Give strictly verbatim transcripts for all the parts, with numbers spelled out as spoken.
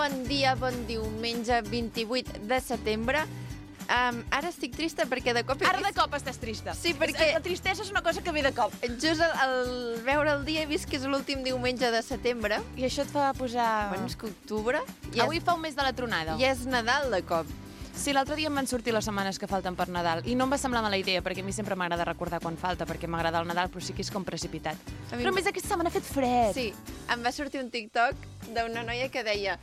Bon dia, bon diumenge, vint-i-vuit de setembre. Um, ara estic trista perquè de cop... Ara de cop estàs trista. Sí, perquè... La tristesa és una cosa que ve de cop. Just al, al veure el dia he vist que és l'últim diumenge de setembre. I això et fa posar... Bueno, és que octubre... Ja Avui és... fa un mes de la tronada. Ja és Nadal de cop. Sí, l'altre dia em van sortir les setmanes que falten per Nadal i no em va semblar mala idea, perquè a mi sempre m'agrada recordar quan falta, perquè m'agrada el Nadal, però sí que és com precipitat. A mi... Però a més aquesta setmana ha fet fred. Sí, em va sortir un TikTok d'una noia que deia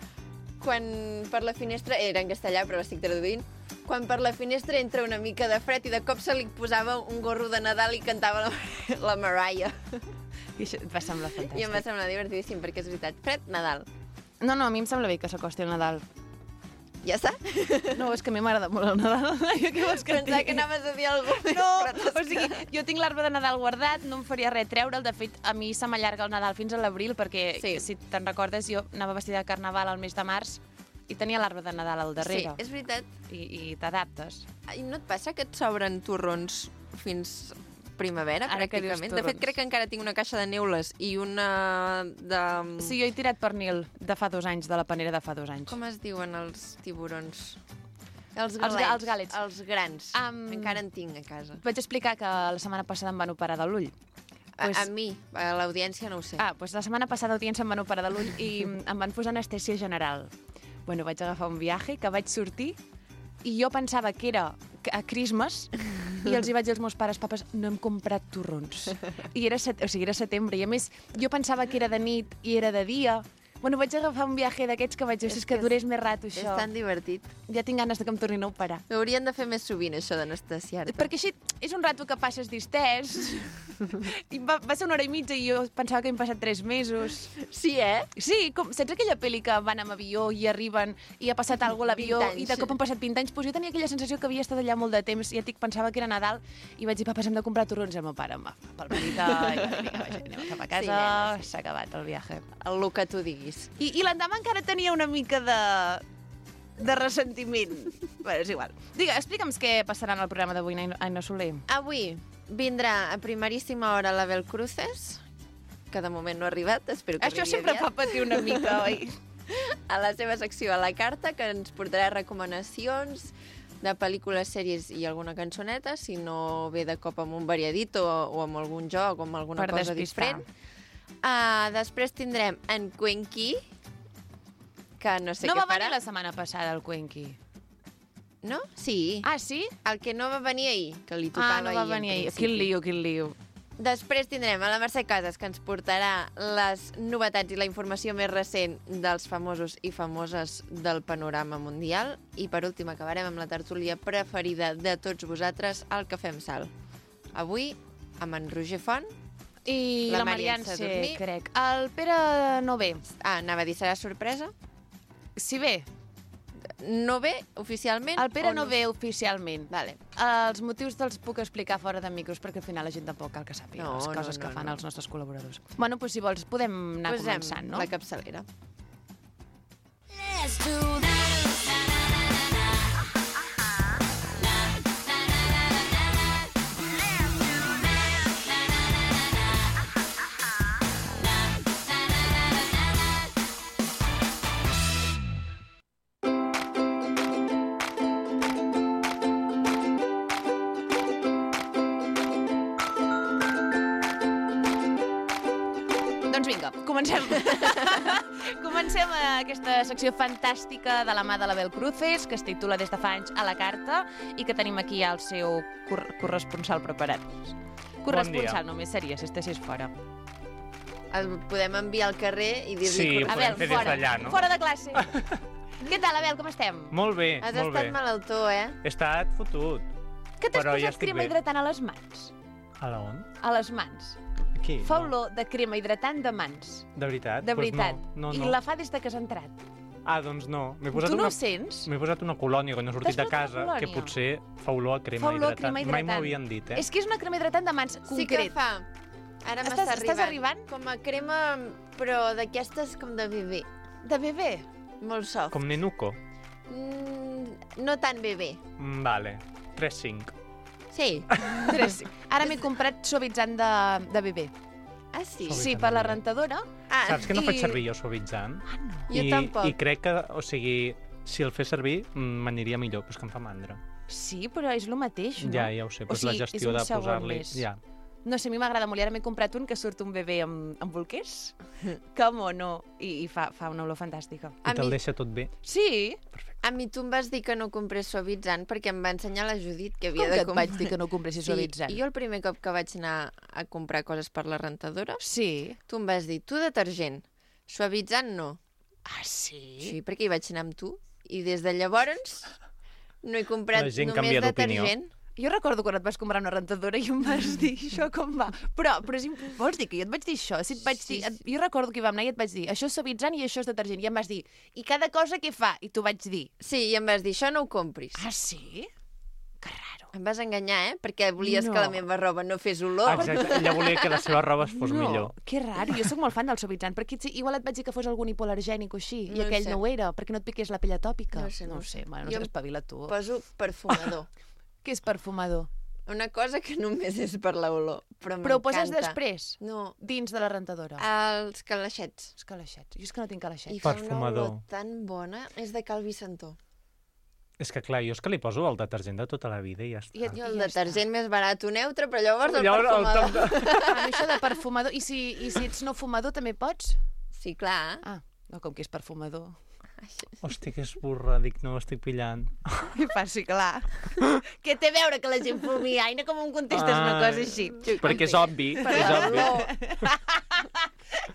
quan per la finestra, era en castellà però l'estic traduint, quan per la finestra entra una mica de fred i de cop se li posava un gorro de Nadal i cantava la, la Mariah. I això et va semblar fantàstic. I em va semblar divertidíssim, perquè és veritat, fred, Nadal. No, no, a mi em sembla bé que s'acosti el Nadal. Ja està? No, és que a mi m'agrada molt el Nadal. Jo què vols que Pensava que anaves a dir alguna cosa. No, o sigui, jo tinc l'arbre de Nadal guardat, no em faria res treure'l. De fet, a mi se m'allarga el Nadal fins a l'abril, perquè, sí. si te'n recordes, jo anava vestida de Carnaval al mes de març i tenia l'arbre de Nadal al darrere. Sí, és veritat. I, i t'adaptes. I no et passa que et sobren torrons fins primavera, Ara pràcticament? De fet, crec que encara tinc una caixa de neules i una de... Sí, jo he tirat pernil de fa dos anys, de la panera de fa dos anys. Com es diuen els tiburons? Els galets. Els, els gàlets. Els grans. Um, encara en tinc a casa. Vaig explicar que la setmana passada em van operar de l'ull. Pues... A, a mi, a l'audiència no ho sé. Ah, doncs la setmana passada l'audiència em van operar de l'ull i em van posar anestèsia general. Bueno, vaig agafar un viatge que vaig sortir i jo pensava que era a Christmas i els hi vaig dir als meus pares, papes, no hem comprat torrons. I era, set... o sigui, era setembre i a més jo pensava que era de nit i era de dia. Bueno, vaig agafar un viatge d'aquests que vaig dir, és, és que, que durés més rato, això. És tan divertit. Ja tinc ganes de que em tornin a operar. Ho haurien de fer més sovint, això d'anestesiar-te. Perquè així és un rato que passes distès. I va, va ser una hora i mitja i jo pensava que hem passat tres mesos. Sí, eh? Sí, com, saps aquella pel·li que van amb avió i arriben i ha passat alguna cosa a l'avió i de cop han passat vint anys? Pues jo tenia aquella sensació que havia estat allà molt de temps i ja et pensava que era Nadal i vaig dir, papes, hem de comprar torrons. I el meu pare em va pel petita i va dir, vinga, anem cap a casa, s'ha sí, sí. acabat el viatge. El que tu diguis. I, i l'endemà encara tenia una mica de, de ressentiment. Bé, és igual. Digue, explica'm què passarà en el programa d'avui, Aina Soler. Avui vindrà a primeríssima hora l'Abel Cruces, que de moment no ha arribat, espero que Això arribi sempre aviat. fa patir una mica, oi? A la seva secció a la carta, que ens portarà recomanacions de pel·lícules, sèries i alguna cançoneta, si no ve de cop amb un variadit o, o amb algun joc o amb alguna per cosa despistar. diferent. Uh, després tindrem en Cuenqui, que no sé no què farà. No va venir la setmana passada el Cuenqui. No? Sí. Ah, sí? El que no va venir ahir, que li tocava ahir. Ah, no va ahir, venir ahir. Quin lío, quin lío. Després tindrem a la Mercè Casas, que ens portarà les novetats i la informació més recent dels famosos i famoses del panorama mundial. I per últim acabarem amb la tertúlia preferida de tots vosaltres, el Cafè amb Sal. Avui amb en Roger Font i la, la Marian C, crec. El Pere no ve. Ah, anava a dir, serà sorpresa? Sí, ve. No ve oficialment? El Pere no? no ve oficialment. Vale. Els motius te'ls puc explicar fora de micros, perquè al final la gent tampoc cal que sàpiga no, les coses no, no, que fan no. els nostres col·laboradors. Bueno, doncs si vols podem anar Posem començant, no? la capçalera. Let's do that. Doncs vinga, comencem. Comencem aquesta secció fantàstica de la mà de l'Abel Cruces, que es titula Des de fa anys a la carta i que tenim aquí el seu cor corresponsal preparat. Corresponsal bon només seria si estessis fora. El podem enviar al carrer i dir-li... Sí, ho podem Abel, fer des d'allà, no? Fora de classe. Què tal, Abel, com estem? Molt bé, Has molt bé. estat malaltó, eh? He estat fotut. Que t'has Però posat ja estic crema bé. hidratant a les mans? A la on? A les mans. Aquí? Fa no. olor de crema hidratant de mans. De veritat? De Pues veritat. no, no, I no. la fa des de que has entrat. Ah, doncs no. M'he posat Tu no una... ho sents? M'he posat una colònia quan he sortit T'has de posat casa, una que colònia? potser fa olor a crema Fa olor a hidratant. crema hidratant. Mai m'ho havien dit, eh? És que és una crema hidratant de mans concret. Sí que fa. Ara Estàs- m'està estàs arribant? Com a crema, però d'aquestes com de bebè. De bebè? Molt soft. Com Nenuco. Mm, no tan bebè. Mm, vale. tres cinc. Sí. Tres. Ara m'he comprat suavitzant de, de bebè. Ah, sí? Suavitzant Sí, de per la vidre. rentadora. Ah, Saps que no I- faig servir jo suavitzant? Ah, no. Jo I, tampoc. I crec que, o sigui, si el fes servir, mm, m'aniria millor, però és que em fa mandra. Sí, però és el mateix, no? Ja, ja ho sé, O però és sigui, la és gestió un de segon posar-li... més. Ja. No sé, a mi m'agrada molt. I ara m'he comprat un que surt un bebè amb, amb bolquers. Que mono. I, i fa, fa una olor fantàstica. A I te'l mi- deixa tot bé. Sí? A mi tu em vas dir que no comprés suavitzant perquè em va ensenyar la Judit que havia Com de que et comprar. vaig dir que no compressis Sí, suavitzant? i jo el primer cop que vaig anar a comprar coses per la rentadora, Sí. tu em vas dir, tu detergent, suavitzant no. Ah, sí? Sí, perquè hi vaig anar amb tu. I des de llavors no he comprat La gent només canvia d'opinió. detergent. Jo recordo quan et vas comprar una rentadora i em vas dir això com va. Però, però és imp... vols dir que jo et vaig dir això? Si et vaig Sí, dir... et... Jo recordo que hi vam anar i et vaig dir això és suavitzant i això és detergent. I em vas dir, i cada cosa què fa? I tu vaig dir, Sí, i em vas dir, això no ho compris. ah, sí? Que raro. Em vas enganyar, eh? Perquè volies No. que la meva roba no fes olor. Exacte, ella volia que la seva roba es fos no, millor. que raro. Jo sóc molt fan del suavitzant, perquè sí, igual et vaig dir que fos algun hipoal·lergènic o així, No i ho aquell sé. no ho era, perquè no et piqués la pell atòpica. No ho sé, no no ho ho sé. sé. Bueno, no Jo sé, espavila tu. Poso perfumador. Què és perfumador? Una cosa que només és per l'olor, però Però ho poses m'encanta. després, No, dins de la rentadora. els calaixets. Els calaixets. Jo és que no tinc calaixets. I fa una Perfumador. olor tan bona. És de Cal Vicentó. És que, clar, jo és que li poso el detergent de tota la vida i ja està. I et- Jo el ja detergent més barat o neutre, però llavors el Llavors, el perfumador. toc de... Ah, no, això de perfumador. I si, I si ets no fumador també pots? Sí, clar. Ah, no, com que és perfumador. Hosti, que esburra, dic, no ho estic pillant. I fa, sí, clar. Què té a veure que la gent fumi? Ai, no com em contestes una cosa així. Perquè és obvi, Per és obvi. l'olor,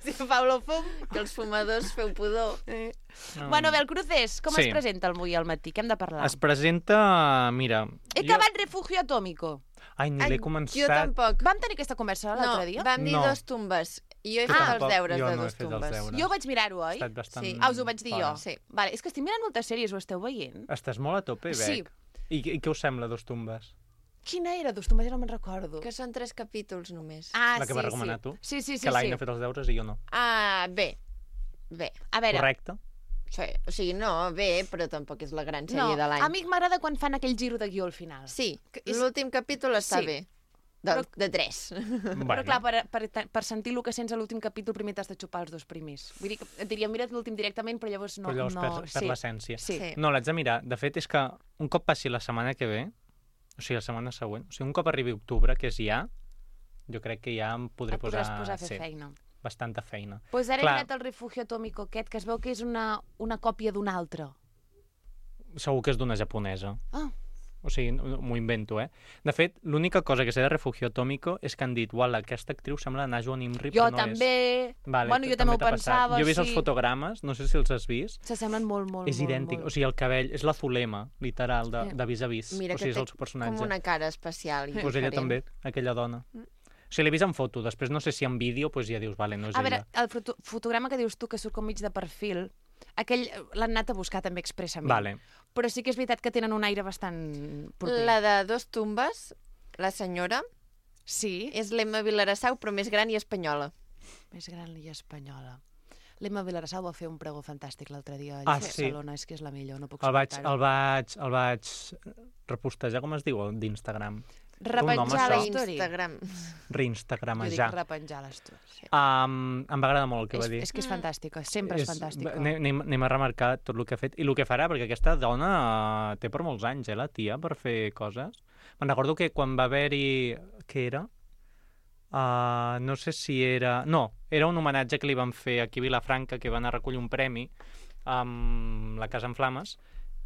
Si fa olor fum. que els fumadors feu pudor. Eh. No. Bueno, a veure, el Crucés, com Sí. es presenta el avui al matí? Què hem de parlar? Es presenta, mira... He acabat Refugio Atómico. Ai, ni Ai, l'he jo començat. tampoc. Vam tenir aquesta conversa No, l'altre dia? vam dir No. dos tumbes. I jo he Jo fet tampoc, els deures jo de no he dos fet els tumbes. deures. Jo vaig mirar-ho, Ha oi? estat bastant... Sí. Ah, us ho vaig dir fora. jo? Sí. Vale, és que estic mirant moltes sèries, ho esteu veient? Estàs molt a tope, Bec. Sí. I, I què us sembla, Dos Tumbes? Quina era? Dos tombes, ja no me'n recordo. Que són tres capítols només. Ah, La que sí, vas recomanar sí. tu? Sí, sí, sí. que l'Aina sí. ha fet els deures i jo no. Ah, bé. Bé. A veure, Correcte? Sí, o sigui, no, bé, però tampoc és la gran sèrie no, de l'any. a mi m'agrada quan fan aquell giro de guió al final. Sí, Que és- l'últim capítol està Sí. bé. De, Però- de tres. Bueno, Però clar, per, per, per sentir el que sents a l'últim capítol primer t'has de xupar els dos primers. Vull dir que et diria, mira't l'últim directament, però llavors no... però llavors no, perd, perd l'essència. Sí. Sí. No, l'haig de mirar. De fet, és que un cop passi la setmana que ve, o sigui, la setmana següent, o sigui, un cop arribi octubre, que és ja, jo crec que ja em podré Et podràs posar, posar a fer sí, feina. bastanta feina. Doncs pues ara Clar. he mirat el Refugio Atómico aquest, que es veu que és una, una còpia d'un altre. Segur que és d'una japonesa. Ah, O sigui, m'ho invento, eh? De fet, l'única cosa que sé de Refugio Atómico és que han dit, uala, aquesta actriu sembla Najo Nimri, jo però no també... és. Vale, bueno, jo t- també ho t'ha passat. pensava, Jo he vist sí. els fotogrames, no sé si els has vist. S'assemblen molt, molt, és molt, idèntic, molt. o sigui, el cabell, és la Zulema, literal, de, Sí. de vis a vis. Mira o sigui, que és té el seu personatge. com una cara especial i Pues ella diferent. també, aquella dona. O sigui, l'he vist en foto, després no sé si en vídeo, pues ja dius, vale, no és A veure, ella. el foto fotograma que dius tu, que surt com mig de perfil, aquell l'han anat a buscar també expressament. Vale. Però sí que és veritat que tenen un aire bastant proper. La de dos tumbes, la senyora, Sí, és l'Emma Vilarassau, però més gran i espanyola. més gran i espanyola. L'Emma Vilarassau va fer un pregó fantàstic l'altre dia a Ah, Barcelona, és que és la millor, no puc El vaig, suportar-ho. el vaig, el vaig repostejar, com es diu, el d'Instagram? Repenjar això. la A story. Instagram. Jo dic Reinstagramejar. repenjar les stories. Sí. Um, em va agradar molt el que És, va dir. és que és fantàstica, sempre és, fantàstica. Anem, anem- anem a remarcar tot el que ha fet i el que farà, perquè aquesta dona eh, té per molts anys, eh, la tia, per fer coses. Me'n recordo que quan va haver-hi... Què era? Uh, no sé si era... No, era un homenatge que li van fer aquí a Vilafranca, que van a recollir un premi amb la Casa en Flames,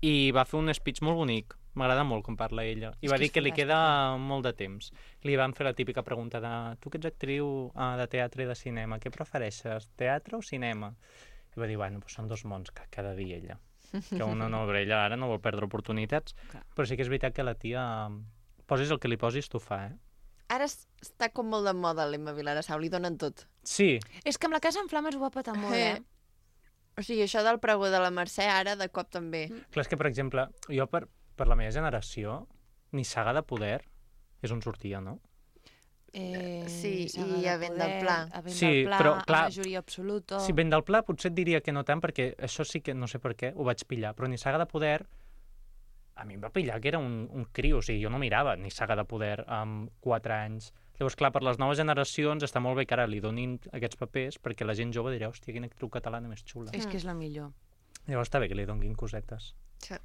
i va fer un speech molt bonic. M'agrada molt com parla ella. I És va que dir és que li fantàstica. queda molt de temps. Li van fer la típica pregunta de tu que ets actriu uh, de teatre i de cinema, què prefereixes, teatre o cinema? I va dir, bueno, doncs són dos mons que cada dia ella. Que una no, però ella ara no vol perdre oportunitats. Clar. Però sí que és veritat que la tia, posis el que li posis, t'ho fa, eh? Ara es- està com molt de moda l'Emma Vilarassau, li donen tot. Sí, És que amb la Casa en Flames ho va petar molt, eh? O sigui, això del pregó de la Mercè ara de cop també. clar, és que, per exemple, jo per, per la meva generació, ni Saga de Poder és on sortia, no? Eh, Sí, Saga i de a Vent del Poder, Pla. A Vent Sí, del Pla, però, clar, a Majoria Absoluta... Si ben del pla potser et diria que no tant, perquè això sí que no sé per què, ho vaig pillar, però ni Saga de Poder, a mi em va pillar que era un, un crio, o sigui, jo no mirava ni Saga de Poder amb quatre anys, Llavors, clar, per les noves generacions està molt bé que ara li donin aquests papers perquè la gent jove dirà, hòstia, quina actriu catalana més xula. És que és la millor. Llavors està bé que li donin cosetes. Sí.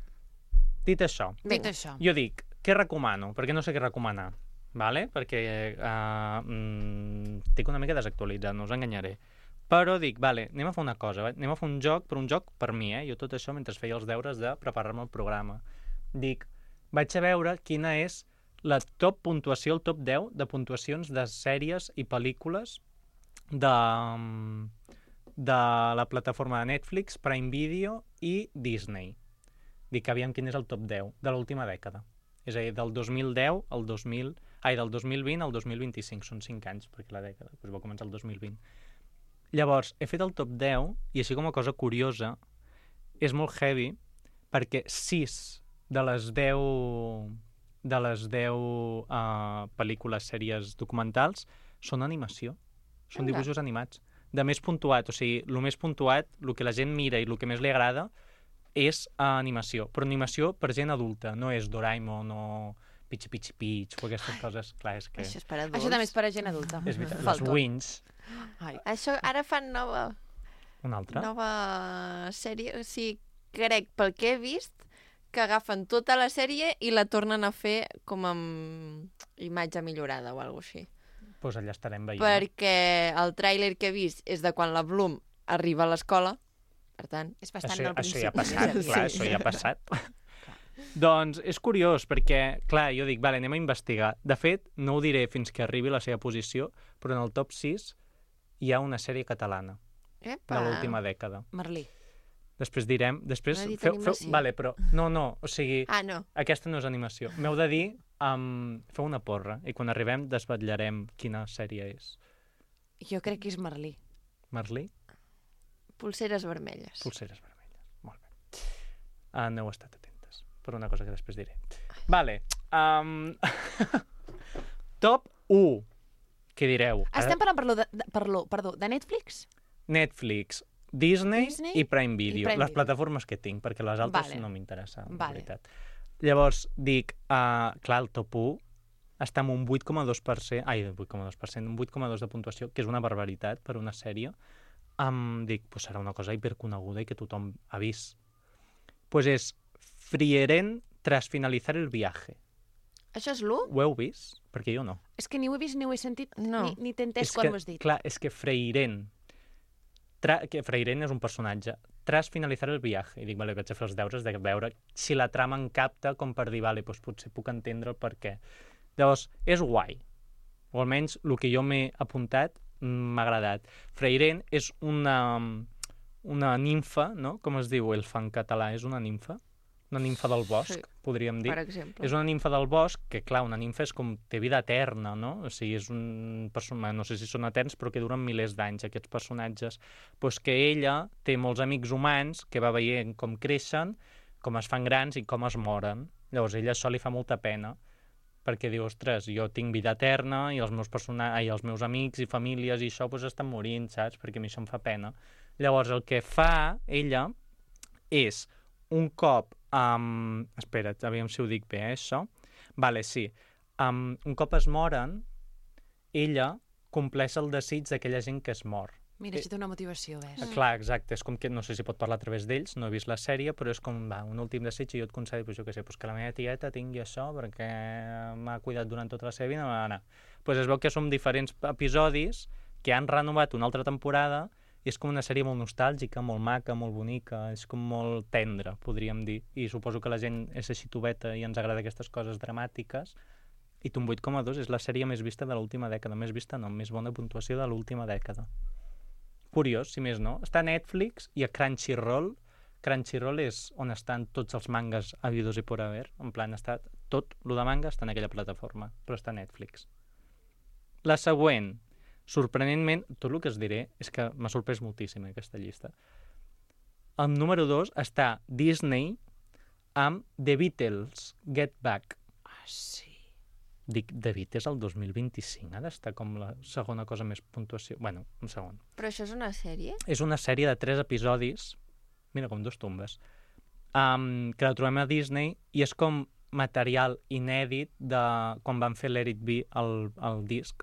Dit això, Dit això. jo dic, què recomano? Perquè no sé què recomanar, vale? Perquè uh, mm, estic una mica desactualitzat, no us enganyaré. Però dic, vale, anem a fer una cosa, va? Anem a fer un joc, però un joc per mi, eh? Jo tot això mentre feia els deures de preparar-me el programa. Dic, vaig a veure quina és la top puntuació, el top deu de puntuacions de sèries i pel·lícules de, de la plataforma de Netflix, Prime Video i Disney. Dic, aviam quin és el top deu de l'última dècada. És a dir, del dos mil deu al dos mil... Ai, del dos mil vint al dos mil vint-i-cinc. Són cinc anys, perquè la dècada doncs va començar el dos mil vint. Llavors, he fet el top deu, i així com a cosa curiosa, és molt heavy, perquè sis de les deu de les deu uh, pel·lícules, sèries documentals, són animació. Són Anda. dibuixos animats. De més puntuat, o sigui, el més puntuat, el que la gent mira i el que més li agrada, és uh, animació. Però animació per gent adulta, no és Doraemon o Pichi Pichi Pitch o aquestes coses. Clar, és que... Això és per adults. Això també és per a gent adulta. És veritat, les Falto. Wings. Ai. Això ara fan nova, Una altra? nova sèrie. O sigui, crec, pel que he vist, que agafen tota la sèrie i la tornen a fer com amb imatge millorada o alguna cosa així. Doncs pues allà estarem veient. Perquè el tràiler que he vist és de quan la Bloom arriba a l'escola, per tant... És bastant Això, al això principi. ja ha passat, és a dir. clar, això ja ha passat. Doncs és curiós, perquè, clar, jo dic, vale, anem a investigar. De fet, no ho diré fins que arribi a la seva posició, però en el top sis hi ha una sèrie catalana Epa. de l'última dècada. Merlí. Després direm... Després No he dit feu, feu, animació. vale, però... No, no, o sigui, Ah, no. aquesta no és animació. M'heu de dir... Um, feu una porra, i quan arribem desvetllarem quina sèrie és. Jo crec que és Merlí. Merlí? Pulseres vermelles. Pulseres vermelles. Molt bé. Uh, no heu estat atentes, per una cosa que després diré. Vale. Um... Top u. Què direu? Estem parlant per lo de, de, per lo, perdó, de Netflix? Netflix, Disney, Disney i Prime Video. i Prime les Video. plataformes que tinc, perquè les altres Vale. no m'interessen, en Vale. veritat. Llavors, dic, uh, clar, el top u està amb un vuit coma dos per cent, ai, vuit coma dos per cent, un vuit coma dos de puntuació, que és una barbaritat per una sèrie. Um, dic, pues serà una cosa hiperconeguda i que tothom ha vist. Pues és Frieren tras finalizar el viaje. Això és l'u? Ho heu vist? Perquè jo no. És que ni ho he vist ni ho he sentit, No. ni, ni t'he entès És quan que, m'ho has dit. Clar, és que Freiren... Tra... que Freiren és un personatge. Tras finalizar el viaje. I dic, vale, vaig a fer els deures de veure si la trama em capta com per dir, vale, doncs potser puc entendre el per què. Llavors, és guai. O almenys el que jo m'he apuntat m'ha agradat. Freiren és una, una nimfa, no? Com es diu elfa en català? És una nimfa? Una nimfa del bosc, Sí. podríem dir. Per exemple. És una nimfa del bosc, que clar, una nimfa és com té vida eterna, no? O sigui, és un personatge, no sé si són eterns, però que duren milers d'anys, aquests personatges. Pues que ella té molts amics humans que va veient com creixen, com es fan grans i com es moren. Llavors, a ella això li fa molta pena, perquè diu, ostres, jo tinc vida eterna i els meus, persona... Ai, els meus amics i famílies i això pues, estan morint, saps? Perquè a mi això em fa pena. Llavors, el que fa ella és un cop... Um, espera't, aviam si ho dic bé, eh, això. Vale, sí. Um, un cop es moren, ella compleix el desig d'aquella gent que es mor. Mira, això té una motivació, ves? Mm. Clar, exacte, és com que no sé si pot parlar a través d'ells, no he vist la sèrie, però és com, va, un últim desig i jo et concedo, pues, jo què sé, pues, que la meva tieta tingui això perquè m'ha cuidat durant tota la seva vida, va anar. Pues es veu que són diferents episodis que han renovat una altra temporada i és com una sèrie molt nostàlgica, molt maca, molt bonica, és com molt tendra, podríem dir, i suposo que la gent és així tubeta i ens agrada aquestes coses dramàtiques, i un vuit coma dos és la sèrie més vista de l'última dècada, més vista no, més bona puntuació de l'última dècada. Curiós, si més no. Està a Netflix i a Crunchyroll. Crunchyroll és on estan tots els mangas habidos i por haver, en plan, està tot lo de manga està en aquella plataforma, però està a Netflix. La següent, sorprenentment, tot el que es diré és que m'ha sorprès moltíssim aquesta llista. El número dos està Disney amb The Beatles, Get Back. Ah, sí. Dic, The Beatles el dos mil vint-i-cinc ha d'estar com la segona cosa més puntuació. Bueno, un segon. Però això és una sèrie? És una sèrie de tres episodis, mira, com dos tombes, um, que la trobem a Disney i és com material inèdit de quan van fer l'Let It Be, el, el disc.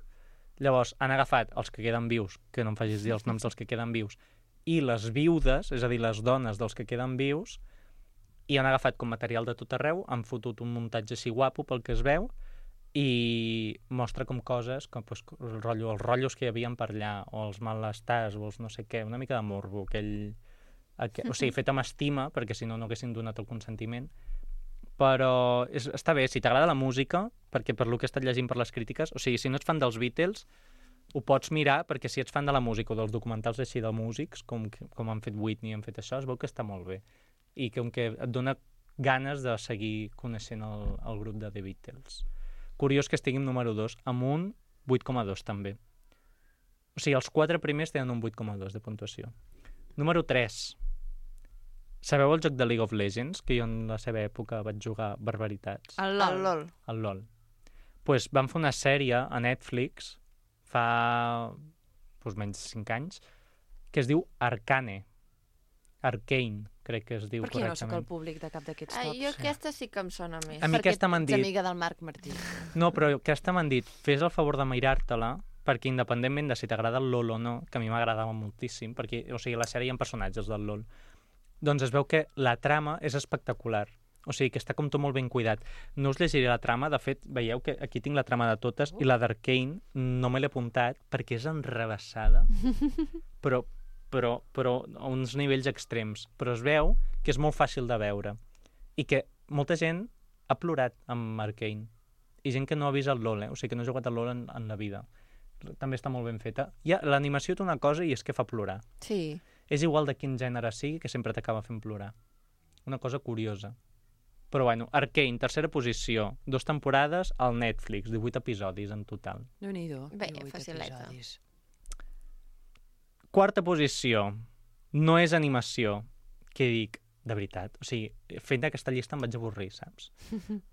Llavors, han agafat els que queden vius, que no em facis dir els noms dels que queden vius, i les viudes, és a dir, les dones dels que queden vius, i han agafat com material de tot arreu, han fotut un muntatge així guapo pel que es veu, i mostra com coses, com pues, el rotllo, els rotllos que hi havia per allà, o els malestars, o els no sé què, una mica de morbo, aquell... aquell o sigui, fet amb estima, perquè si no, no haguessin donat el consentiment, però és, està bé, si t'agrada la música, perquè per lo que he estat llegint per les crítiques, o sigui, si no ets fan dels Beatles, ho pots mirar, perquè si ets fan de la música o dels documentals així de músics, com, com han fet Whitney, han fet això, es veu que està molt bé. I com que et dona ganes de seguir coneixent el, el grup de The Beatles. Curiós que estiguin número dos, amb un vuit coma dos també. O sigui, els quatre primers tenen un vuit coma dos de puntuació. Número tres. Sabeu el joc de League of Legends? Que jo en la seva època vaig jugar barbaritats. El LOL. El LOL. El LOL. Pues van fer una sèrie a Netflix fa pues, menys de cinc anys que es diu Arcane. Arcane, crec que es diu Per què no correctament. sóc el públic de cap d'aquests Ah, tops? jo aquesta sí que em sona més. A mi Perquè aquesta m'han ets dit... amiga del Marc Martí. No, però aquesta m'han dit, fes el favor de mirar-te-la, perquè independentment de si t'agrada el LOL o no, que a mi m'agradava moltíssim, perquè, o sigui, a la sèrie hi ha personatges del LOL, doncs es veu que la trama és espectacular. O sigui, que està com tot molt ben cuidat. No us llegiré la trama, de fet, veieu que aquí tinc la trama de totes, i la d'Arcane no me l'he apuntat perquè és enrebaçada, però, però, però a uns nivells extrems. Però es veu que és molt fàcil de veure i que molta gent ha plorat amb Arcane. I gent que no ha vist el LOL, eh? O sigui, que no ha jugat al LOL en, en la vida. També està molt ben feta. Ja, l'animació té una cosa i és que fa plorar. Sí. És igual de quin gènere sigui, que sempre t'acaba fent plorar. Una cosa curiosa. Però bueno, Arcane, tercera posició, dos temporades al Netflix, divuit episodis en total. Déu-n'hi-do. Bé, divuit facileta. episodis. Quarta posició, no és animació, què dic, de veritat. O sigui, fent aquesta llista em vaig avorrir, saps?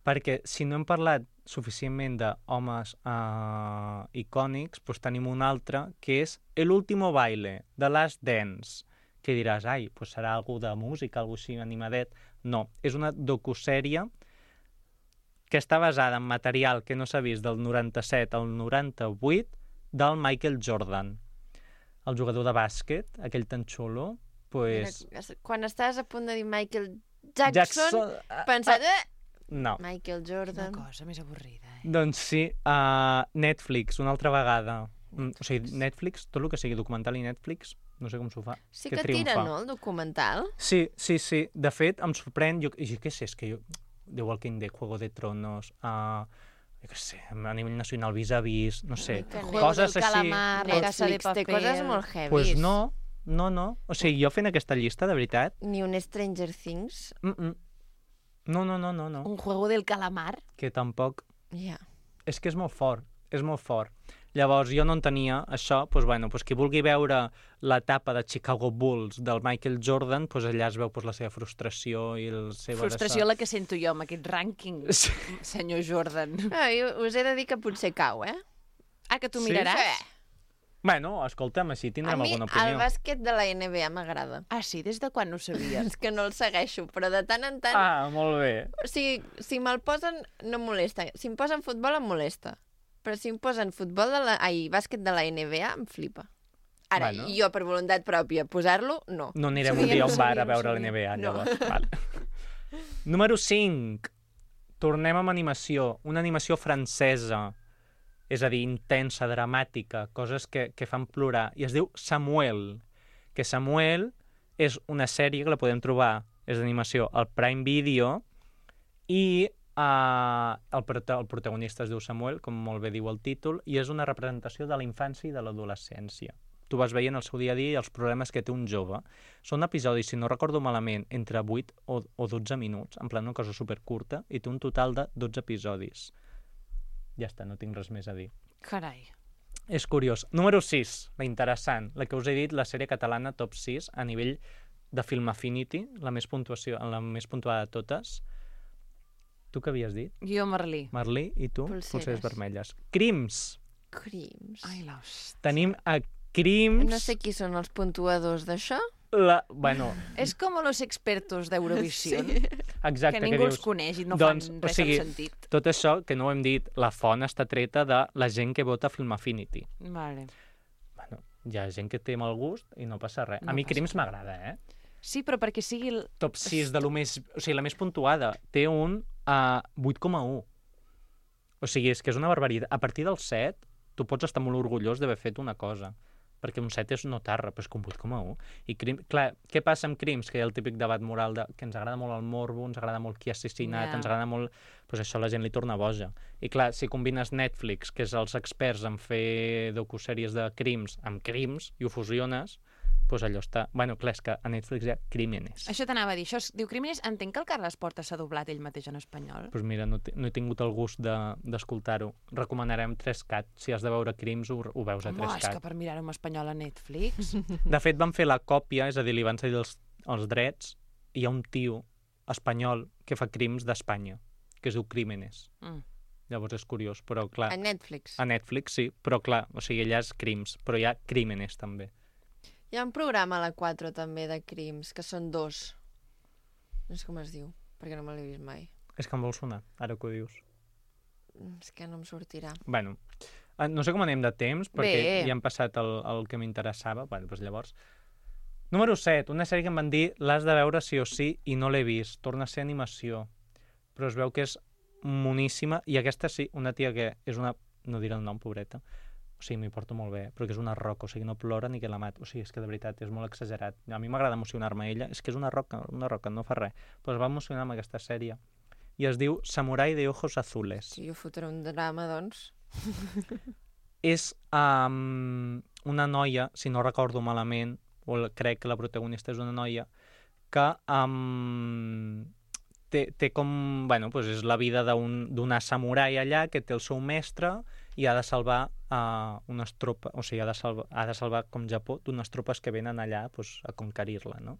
Perquè si no hem parlat suficientment d'homes uh, icònics, doncs tenim un altre, que és El último baile, de Last Dance, que diràs, ai, doncs serà algú de música, algú així animadet. No, és una docusèrie que està basada en material que no s'ha vist del noranta-set al noranta-vuit del Michael Jordan, el jugador de bàsquet, aquell tan xulo. Pues... Mira, quan estaves a punt de dir Michael Jackson, Jackson... pensat... Eh? No. Michael Una Jordan... cosa més avorrida, eh? Doncs sí, uh, Netflix, una altra vegada. Mm, o sigui, Netflix, tot el que sigui documental i Netflix, no sé com s'ho fa. Sí que, que tira, no, el documental? Sí, sí, sí. De fet, em sorprèn... Jo, jo què sé, és que jo... The Walking Dead, Juego de Tronos... Uh, jo què sé, a nivell nacional, Vis-a-Vis, no sé. Juego Coses del així... calamar, La Casa de Netflix té Papel... coses molt heavies. Pues no, no, no. O sigui, jo fent aquesta llista, de veritat... Ni un Stranger Things. Mm -mm. No, no, no, no, no. Un juego del calamar? Que tampoc... Ja. Yeah. És que és molt fort, és molt fort. Llavors, jo no entenia això, doncs, bueno, doncs, qui vulgui veure l'etapa de Chicago Bulls del Michael Jordan, doncs allà es veu doncs, la seva frustració i la seva... Frustració dessa... la que sento jo amb aquest rànquing, Sí. senyor Jordan. Ah, jo us he de dir que potser cau, eh? Ah, que tu Sí? miraràs? Sí. Bueno, escolta'm, així A tindrem mi alguna opinió. el bàsquet de la N B A m'agrada. Ah, sí? Des de quan no ho sabies? És que no el segueixo, però de tant en tant... Ah, molt bé. O sigui, si me'l posen, no em molesta. Si em posen futbol, em molesta. Però si em posen futbol de la... Ai, bàsquet de la N B A, em flipa. Ara, Bueno. jo per voluntat pròpia, posar-lo, no. No anirem Sabia, un dia a no un bar sabia, a no veure sabia. l'N B A, No. llavors. Vale. Número cinc. Tornem amb animació. Una animació francesa. És a dir, intensa, dramàtica, coses que, que fan plorar. I es diu Samuel. Que Samuel és una sèrie que la podem trobar, és d'animació, al Prime Video, i uh, el, prota el protagonista es diu Samuel, com molt bé diu el títol, i és una representació de la infància i de l'adolescència. Tu vas veient el seu dia a dia i els problemes que té un jove. Són episodis, si no recordo malament, entre vuit o, o dotze minuts, en plan una cosa supercurta, i té un total de dotze episodis. Ja està, no tinc res més a dir. Carai. És curiós. Número sis, la interessant, la que us he dit, la sèrie catalana top sis, a nivell de Film Affinity, la més, puntuació, la més puntuada de totes. Tu què havies dit? Jo, Merlí. Merlí, i tu? Polseres. Polseres vermelles. Crims. Crims. Ai, l'host. Tenim a Crims... No sé qui són els puntuadors d'això. La... Bueno, És com los expertos d'Eurovisió, Sí. exacte, que ningú que els dius... coneix i no doncs, fan o res sigui, amb sentit. Tot això, que no ho hem dit, la font està treta de la gent que vota Film Affinity. Vale. Bueno, hi ha gent que té mal gust i no passa res. No a mi passa Crims res. m'agrada, eh? Sí, però perquè sigui... El... Top sis de lo més... O sigui, la més puntuada. Té un uh, vuit coma u. O sigui, és que és una barbaritat. A partir del set, tu pots estar molt orgullós d'haver fet una cosa. Perquè un set és notar-re, però és que un vuit coma u. I crim... Clar, què passa amb Crims? Que hi ha el típic debat moral de que ens agrada molt el morbo, ens agrada molt qui ha assassinat, Ja. ens agrada molt... Pues això la gent li torna boja. I clar, si combines Netflix, que és els experts en fer docusèries de crims, amb crims, i ho fusiones, pues allò està... Bueno, clar, és que a Netflix hi ha Crímenes. Això t'anava a dir. Això es diu Crímenes. Entenc que el Carles Porta s'ha doblat ell mateix en espanyol. Pues mira, no, no he tingut el gust d'escoltar-ho. De, Recomanarem tres cat. Si has de veure crims, ho, ho veus a Home, tres és que cat. per mirar-ho en espanyol a Netflix... De fet, van fer la còpia, és a dir, li van cedir els, els drets, i hi ha un tio espanyol que fa crims d'Espanya, que es diu Crímenes. Mm. Llavors és curiós, però clar... A Netflix. A Netflix, sí, però clar, o sigui, allà és crims, però hi ha Crímenes, també. Hi ha un programa a la quatre també de crims, que són dos. No sé com es diu, perquè no me l'he vist mai. És que em vol sonar, ara que ho dius. És que no em sortirà. Bueno, eh, no sé com anem de temps, perquè Bé. ja hem passat el, el que m'interessava. Bueno, doncs llavors... Número set, una sèrie que em van dir l'has de veure sí o sí i no l'he vist. Torna a ser animació. Però es veu que és moníssima i aquesta sí, una tia que és una... No diré el nom, pobreta. O sigui, m'hi porto molt bé, però que és una roca, o sigui, no plora ni que la mat. O sigui, és que de veritat és molt exagerat. A mi m'agrada emocionar-me ella. És que és una roca, una roca, no fa res. Però es va emocionar amb aquesta sèrie. I es diu Samurai de ojos azules. Si jo fotré un drama, doncs... És um, una noia, si no recordo malament, o crec que la protagonista és una noia, que um, té, té com... Bueno, pues és la vida d'una un, samurai allà que té el seu mestre i ha de salvar uh, unes tropes, o sigui, ha de salvar, ha de salvar com Japó, d'unes tropes que venen allà pues, a conquerir-la, no?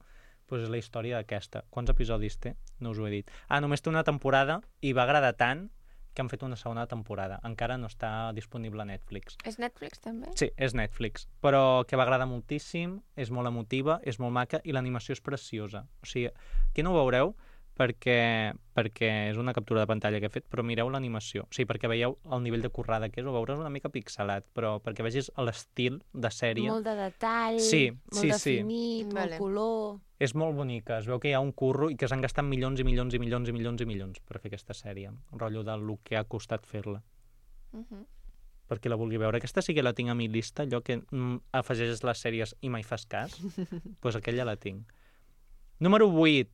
Pues és la història d'aquesta. Quants episodis té? No us ho he dit. Ah, només té una temporada i va agradar tant que han fet una segona temporada. Encara no està disponible a Netflix. És Netflix, també? Sí, és Netflix, però que va agradar moltíssim, és molt emotiva, és molt maca i l'animació és preciosa. O sigui, aquí no ho veureu perquè, perquè és una captura de pantalla que he fet, però mireu l'animació. O sigui, perquè veieu el nivell de currada que és, ho veuràs una mica pixelat, però perquè vegis l'estil de sèrie. Molt de detall, Sí, molt sí, definit, sí. molt Vale. color... És molt bonica, es veu que hi ha un curro i que s'han gastat milions i milions i milions i milions i milions per fer aquesta sèrie. Un rotllo del que ha costat fer-la. Uh -huh. Perquè la vulgui veure. Aquesta sí que la tinc a mi llista, allò que mm, afegeixes les sèries i mai fas cas, doncs pues aquella la tinc. Número vuit.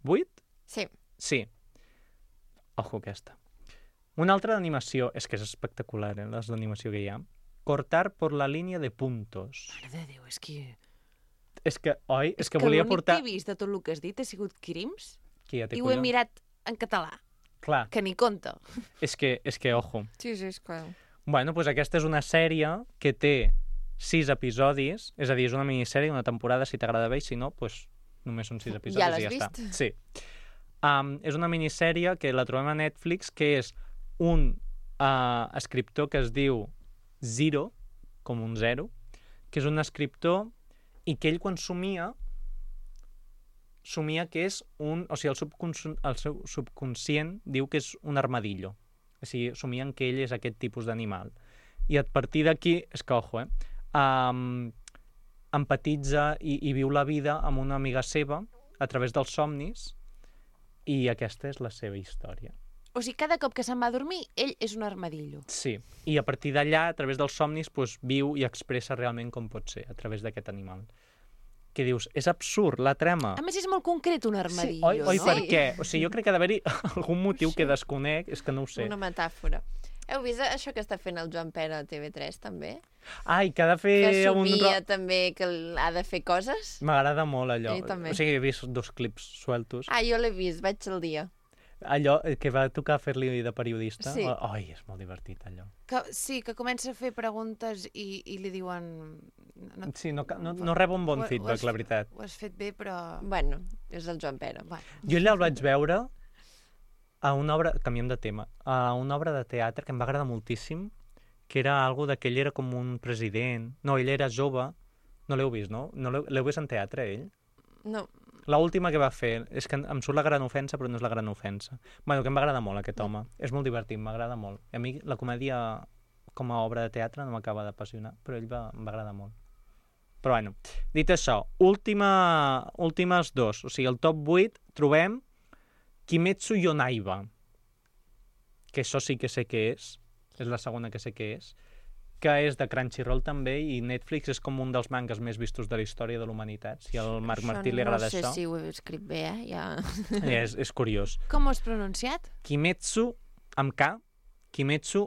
vuit? Sí. Sí. Ojo aquesta. Una altra d'animació, és que és espectacular, eh, les d'animació que hi ha. Cortar por la línia de puntos. Mare de Déu, és que... És que, oi? És, És que, que volia l'únic portar... que he vist de tot el que has dit ha sigut Crims Qui ja té i ho he collons? mirat en català, Clar, que ni compta. és que, és que, ojo. Sí, sí, és clar. Bueno, doncs aquesta és una sèrie que té sis episodis, és a dir, és una minissèrie, una temporada, si t'agrada bé, i si no, doncs només són sis episodis Ja i l'has ja vist? està. Sí. Um, és una minissèrie que la trobem a Netflix, que és un uh, escriptor que es diu Zero, com un zero, que és un escriptor i que ell quan somia somia que és un... O sigui, el, subconscient, el seu subconscient diu que és un armadillo. O sigui, somien que ell és aquest tipus d'animal. I a partir d'aquí, és que, ojo, eh? Um, empatitza i, i viu la vida amb una amiga seva a través dels somnis i aquesta és la seva història. O sigui, cada cop que se'n va a dormir, ell és un armadillo. Sí, i a partir d'allà, a través dels somnis, doncs, viu i expressa realment com pot ser, a través d'aquest animal. Que dius, és absurd, la trama. A més, és molt concret un Sí, armadillo, oi, oi, no? per què? O sigui, jo crec que ha d'haver-hi algun motiu que desconec, és que no ho sé. Una metàfora. Heu vist això que està fent el Joan Pere a T V tres, també? Ai, que ha de fer Que un... somia ro- també que ha de fer coses? M'agrada molt allò. A mi també. O sigui, he vist dos clips sueltos. Ah, jo l'he vist, vaig al dia. Allò que va tocar fer-li de periodista. Sí. Ai, és molt divertit, allò. Que, sí, que comença a fer preguntes i, i li diuen... No, Sí, no, ca- no, no rebo un bon Ho- ho feedback, has- la veritat. Ho has fet bé, però... Bueno, és el Joan Pere. Bueno. Jo allà el vaig veure a una obra, canviem de tema, a una obra de teatre que em va agradar moltíssim, que era algo de que ell era com un president. No, ell era jove No l'heu vist, no? no l'heu, l'heu vist en teatre, ell? No. L'última que va fer, és que em surt la gran ofensa, però no és la gran ofensa. Bueno, que em va agradar molt, aquest home. És molt divertit, m'agrada molt. A mi la comèdia com a obra de teatre no m'acaba d'apassionar, però ell va, em va agradar molt. Però bueno, dit això, última, últimes dos. O sigui, el top vuit trobem Kimetsu Yonaiba, que això sí que sé què és, és la segona que sé què és, que és de Crunchyroll també, i Netflix és com un dels mangas més vistos de la història de l'humanitat. Si al Marc Martí li agrada això... No sé si ho he escrit bé, eh? Ja... És, és curiós. Com ho has pronunciat? Kimetsu, amb K, Kimetsu,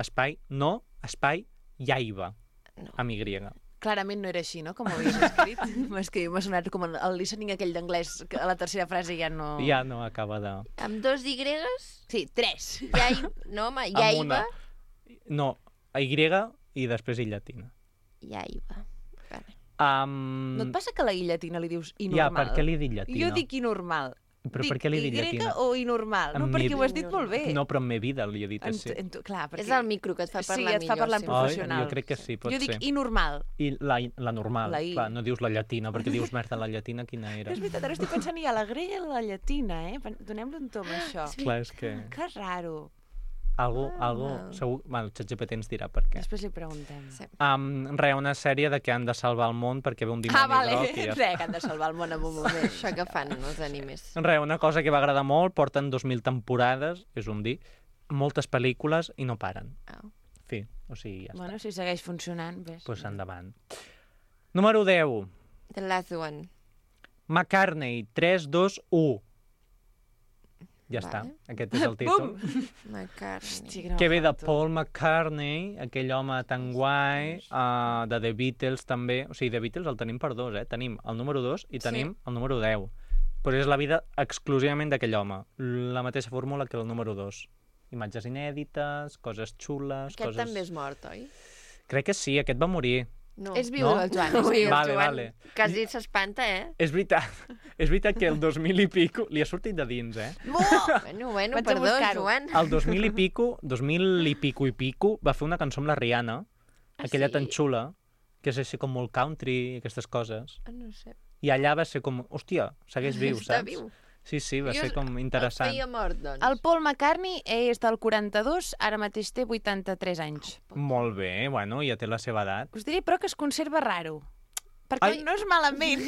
espai, no, espai, Yaiba, No. amb Y. Clarament no era així, no?, com ho havies escrit. És que m'ha sonat com el listening aquell d'anglès, que a la tercera frase ja no... Ja no acaba de... Amb dos Y? Sí, tres. Yai... No, home, Amb una. Yaiba. No, Y i després I llatina. Yaiba. Vale. Um... No et passa que a la I llatina li dius I Ja, normal? per què li he dit llatina? Jo dic I normal. Però dic per què li he dit Y llatina? o I normal? No, En perquè mi- ho has dit molt bé. No, però en meva vida li he dit En, així. en, tu- clar, perquè... És el micro que et fa parlar Sí, et fa millor, parlar en sí. professional. Jo crec que sí, pot jo dic ser. I normal. I la, la normal, La I. clar, no dius la llatina, perquè dius merda, la llatina quina era? És veritat, ara estic pensant ja a la grella i la llatina, eh? Donem-li un tom a això. Clar, és que... Que raro. Algo, Ah, algo, mal. segur... Bueno, el ChatGPT ens dirà per què. Després li preguntem. Sí. Um, re, una sèrie de que han de salvar el món perquè ve un dimoni Ah, vale. groc i ja Re, que han de salvar el món en un moment. Això que fan els animes. Re, una cosa que va agradar molt, porten dos mil temporades, és un dir, moltes pel·lícules i no paren. Au. Fi, o sigui, ja Bueno, si segueix funcionant, ves. està. Pues endavant. Número deu. The last one. McCartney, tres, dos, u. Ja està, Vale. aquest és el títol. McCartney. Hosti, que no Que ve de falto. Paul McCartney, aquell home tan guai, uh, de The Beatles també. O sigui, The Beatles el tenim per dos, eh? Tenim el número dos i tenim el número deu. Però és la vida exclusivament d'aquell home. La mateixa fórmula que el número dos. Imatges inèdites, coses xules... Aquest coses... també és mort, oi? Crec que sí, aquest va morir. No. És viu, No? el Joan. Ui, el Vale, Joan vale. quasi s'espanta, eh? És veritat, és veritat que el dos mil i pico... Li ha sortit de dins, eh? Bueno, bueno, Vaig a perdó, buscar-ho. Joan. El dos mil i pico, dos mil i pico i pico, va fer una cançó amb la Rihanna, Ah, aquella sí? tan xula, que és així com molt country i aquestes coses. Ah, no sé. I allà va ser com, hòstia, segueix viu, Està saps? viu. Sí, sí, va Jo ser com El interessant. feia mort, doncs. El Paul McCartney és del quaranta-dos, ara mateix té vuitanta-tres anys. Molt bé, bueno, ja té la seva edat. Us diré, però, que es conserva raro. Perquè Ai. no és malament,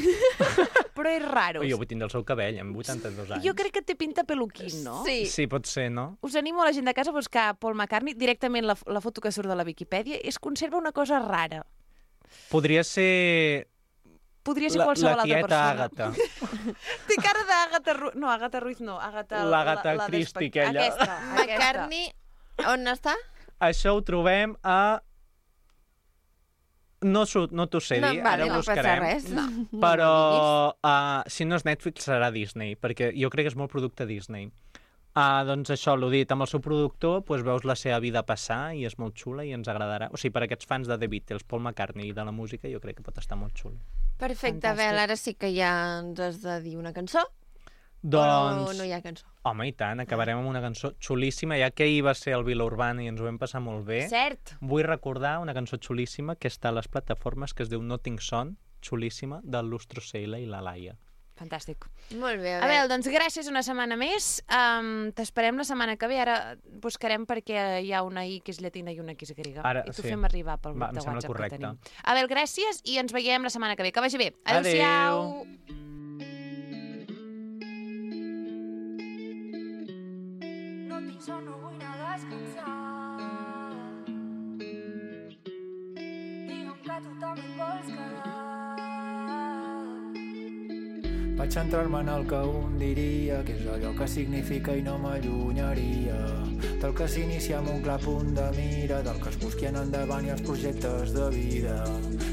però és raro. Jo vull tindre el seu cabell, amb vuitanta-dos anys. Jo crec que té pinta peluquín, no? Sí. Sí, pot ser, no? Us animo a la gent de casa a buscar Paul McCartney. Directament la, la foto que surt de la Viquipèdia es conserva una cosa rara. Podria ser Podria ser la, qualsevol la altra tieta persona. Àgata. Té cara d'Àgata Ruiz. No, Àgata Ruiz no. Àgata... L'Àgata la, la Christie, despec- aquella. Aquesta, McCartney, on està? Això ho trobem a... No, s'ho- no t'ho sé dir, vale, ara ho no passa buscarem. res. No, Però no uh, si no és Netflix serà Disney, perquè jo crec que és molt producte Disney. Uh, doncs això, l'ho dit, amb el seu productor doncs veus la seva vida passar i és molt xula i ens agradarà. O sigui, per aquests fans de The Beatles, Paul McCartney i de la música, jo crec que pot estar molt xulo. Perfecte, Fantàstic. Bel, ara sí que ja ens has de dir una cançó. Doncs, O no hi ha cançó. home, i tant, acabarem amb una cançó xulíssima, ja que ahir va ser el Vila Urbana i ens ho vam passar molt bé. Cert. Vull recordar una cançó xulíssima que està a les plataformes, que es diu Notting Son, xulíssima, del Lustro Seila i la Laia. Fantàstic. Molt bé, A veure, doncs gràcies una setmana més. Um, T'esperem la setmana que ve. Ara buscarem perquè hi ha una I que és llatina i una que és grega. Ara, I t'ho sí. fem arribar pel grup Va, em de sembla WhatsApp correcte. que tenim. Abel, gràcies i ens veiem la setmana que ve. Que vagi bé. Adéu. Adéu-siau. No tinc son, no vull anar a descansar. Digue'm que tu també et vols quedar. Vaig centrar-me en el que un diria que és allò que significa i no m'allunyaria del que s'inicia amb un clar punt de mira, del que es busqui en endavant i els projectes de vida.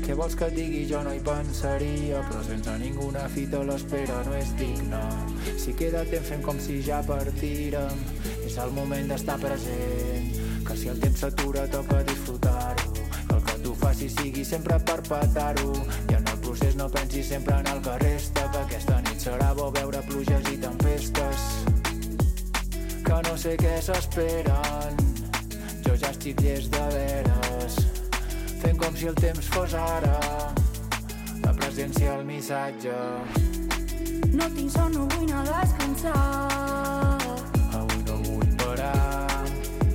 Què vols que et digui? Jo no hi pensaria, però sense ninguna fita l'espera no és digna. Si queda temps fem com si ja partírem, és el moment d'estar present, que si el temps s'atura toca disfrutar-ho, que el que tu facis sigui sempre per petar-ho i en el procés no pensis sempre en el que resta, que aquesta nit serà bo veure pluges i tempestes que no sé què s'esperen. Jo ja estic llest de veres, fent com si el temps fos ara, la presència al missatge. No tinc son, no vull anar a descansar. Avui no vull parar.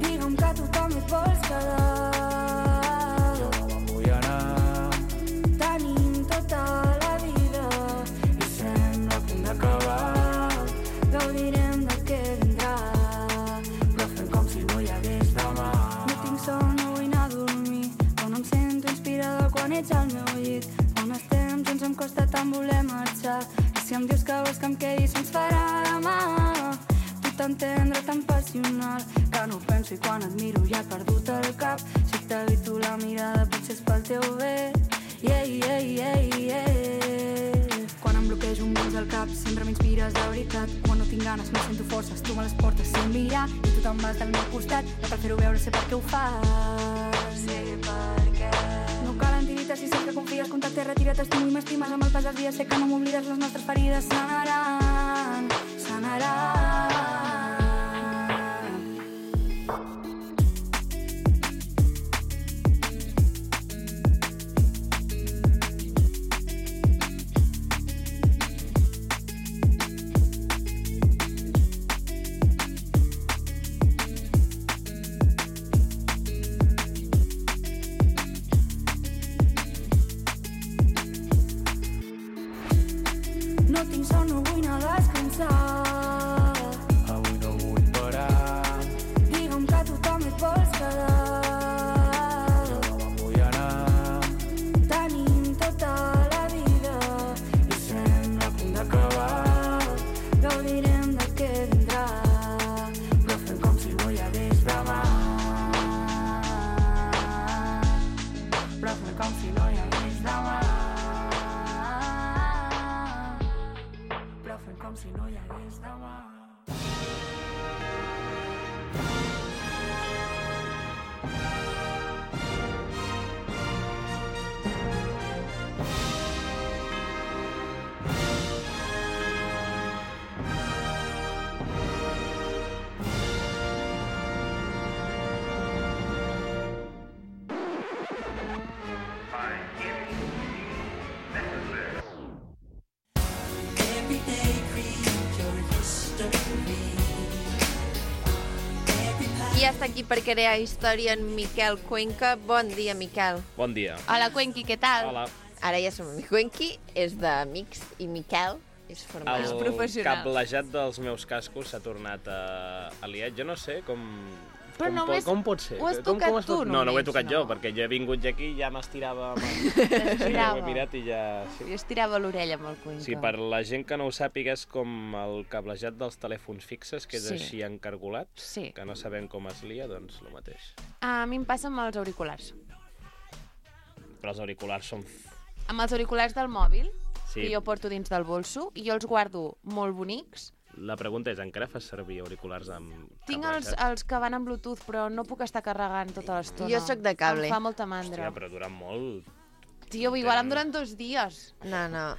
Digue'm que tu també et vols quedar. Jo no me'n vull anar. Tenim tota la vida I sembla a punt d'acabar. gaudirem del que vindrà. Però fem com si no hi hagués demà. No tinc son, no vull anar a dormir. Quan em sento inspirada quan ets al meu llit. Quan estem junts em costa tant voler marxar. I si em dius que vols que em quedi se'ns farà demà. Tu tan tendre, tan passional, que no ho penso i quan et miro ja he perdut el cap. Si t'evito la mirada potser és pel teu bé. Yeah, yeah, yeah, yeah. Quan em bloquejo un vents al cap sempre m'inspires de veritat. Quan no tinc ganes no sento forces, tu me les portes sin mirar. I tu te'n vas del meu costat, no cal fer-ho veure, sé per què ho fas. Sé per què. No cal antirites si saps que confies, contacte, retira, t'estimo i m'estimes. Amb el pas dels dies sé que no m'oblides, les nostres ferides sanaran, sanaran. No tinc son, no vull anar a descansar. Avui no vull parar. Digue'm que tu també et vols quedar. Jo no me'n vull anar. Tenim tota la vida I sembla a punt d'acabar. gaudirem del que vindrà. Però fem com si no hi hagués demà. Però fem com si no hi hagués demà. Però fem com si no hi hagués demà. I ja està aquí per crear història en Miquel Cuenca. Bon dia, Miquel. Bon dia. Hola, Cuenqui, què tal? Hola. Ara ja som amics. Cuenqui és d'amics i Miquel és formal. El professional. cablejat dels meus cascos s'ha tornat a, a liat. Jo no sé com... Però com, només pot, com pot ser? ho has com, tocat com es tu pot... No, no ho he només, tocat no. jo, perquè jo he vingut aquí i ja m'estirava... Amb... Sí, ja ho he T'estirava. mirat i ja... Sí. Jo estirava l'orella amb el Cuenca. Sí, per la gent que no ho sàpiga, és com el cablejat dels telèfons fixes, que és Sí. així encargolat, Sí. que no sabem com es lia, doncs el mateix. A mi em passa amb els auriculars. Però els auriculars són... Amb els auriculars del mòbil, Sí. que jo porto dins del bolso, i jo els guardo molt bonics. La pregunta és, encara fas servir auriculars amb Tinc els, cablejat? els que van amb Bluetooth, però no puc estar carregant tota l'estona. Jo sóc de cable. Em fa molta mandra. Hòstia, però duren molt. Tio, igual em duren dos dies. No, no.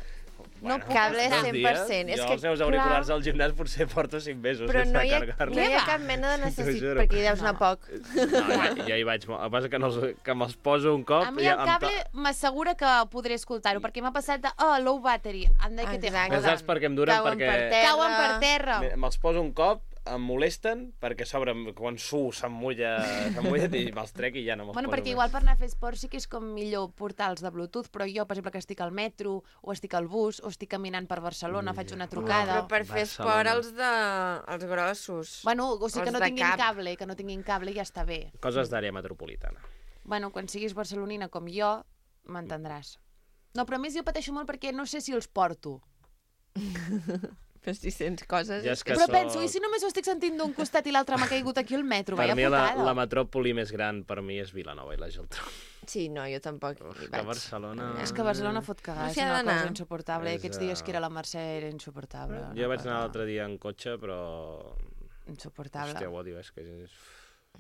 No Bueno, puc cable dos cent per dies, cent. És jo que, els meus auriculars al gimnàs potser porto cinc mesos però sense no hi ha, carregar-los. no hi ha va? cap mena de T'ho necessitat, juro. perquè hi deus No. anar poc. No, ja, ja hi vaig molt. El que passa que, no els, que me'ls poso un cop... A mi ja el em cable m'assegura que podré escoltar-ho, perquè m'ha passat de, oh, low battery, anda que te Exacte. Ja saps per què em duren? Cauen perquè per terra. Cauen per terra. me- me'ls poso un cop, em molesten, perquè a sobre quan suo s'emmulla s'emmulla i me'ls trec i ja no me'ls Bueno, poso perquè més. igual per anar a fer esport sí que és com millor portar-los de Bluetooth, però jo, per exemple, que estic al metro, o estic al bus, o estic caminant per Barcelona, faig una trucada... Però per fer esport, Barcelona. els, de... els grossos. Bueno, o sigui que Els no de tinguin cap. cable, que no tinguin cable ja està bé. Coses d'àrea metropolitana. Bueno, quan siguis barcelonina com jo, m'entendràs. No, però a més jo pateixo molt perquè no sé si els porto. Però si sents coses... Ja és és que Però soc- penso, i si només ho estic sentint d'un costat i l'altre m'ha caigut aquí al metro? Per Vaya mi la, putada. la metròpoli més gran per mi és Vilanova i la Geltrú. Sí, no, jo tampoc hi Que vaig. Barcelona... És que Barcelona fot cagar, No és s'hi ha una d'anar. cosa insuportable. És, Aquests dies uh, que era la Mercè era insuportable. Jo una vaig anar cosa l'altre dia en cotxe, però... Insuportable. Hòstia, ho odio, és que... És...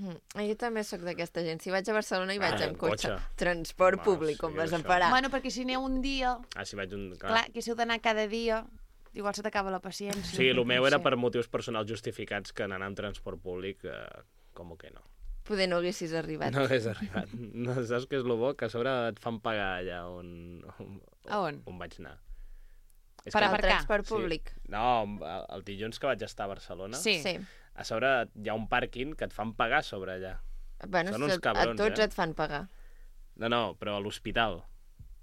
Mm. Jo també sóc d'aquesta gent. Si vaig a Barcelona hi vaig Ah, amb en cotxe. cotxe. Transport Bueno, públic, com sí, vas a això. parar. Bueno, perquè si aneu un dia, Ah, si vaig un... clar, que si heu d'anar cada dia, igual se t'acaba la paciència. Sí, el meu No era sé. per motius personals justificats que anar amb transport públic, eh, com que no. Poder no haguessis arribat. No hagués arribat. No, saps què és lo bo? Que a sobre et fan pagar allà on, on, A on? on vaig anar. És Per que- El aparcar. transport públic. Sí. No, el, el dilluns que vaig estar a Barcelona, Sí. Sí. a sobre hi ha un pàrquing que et fan pagar a sobre allà. Bueno, Són uns a- cabrons, a tots eh? et fan pagar. No, no, però a l'hospital.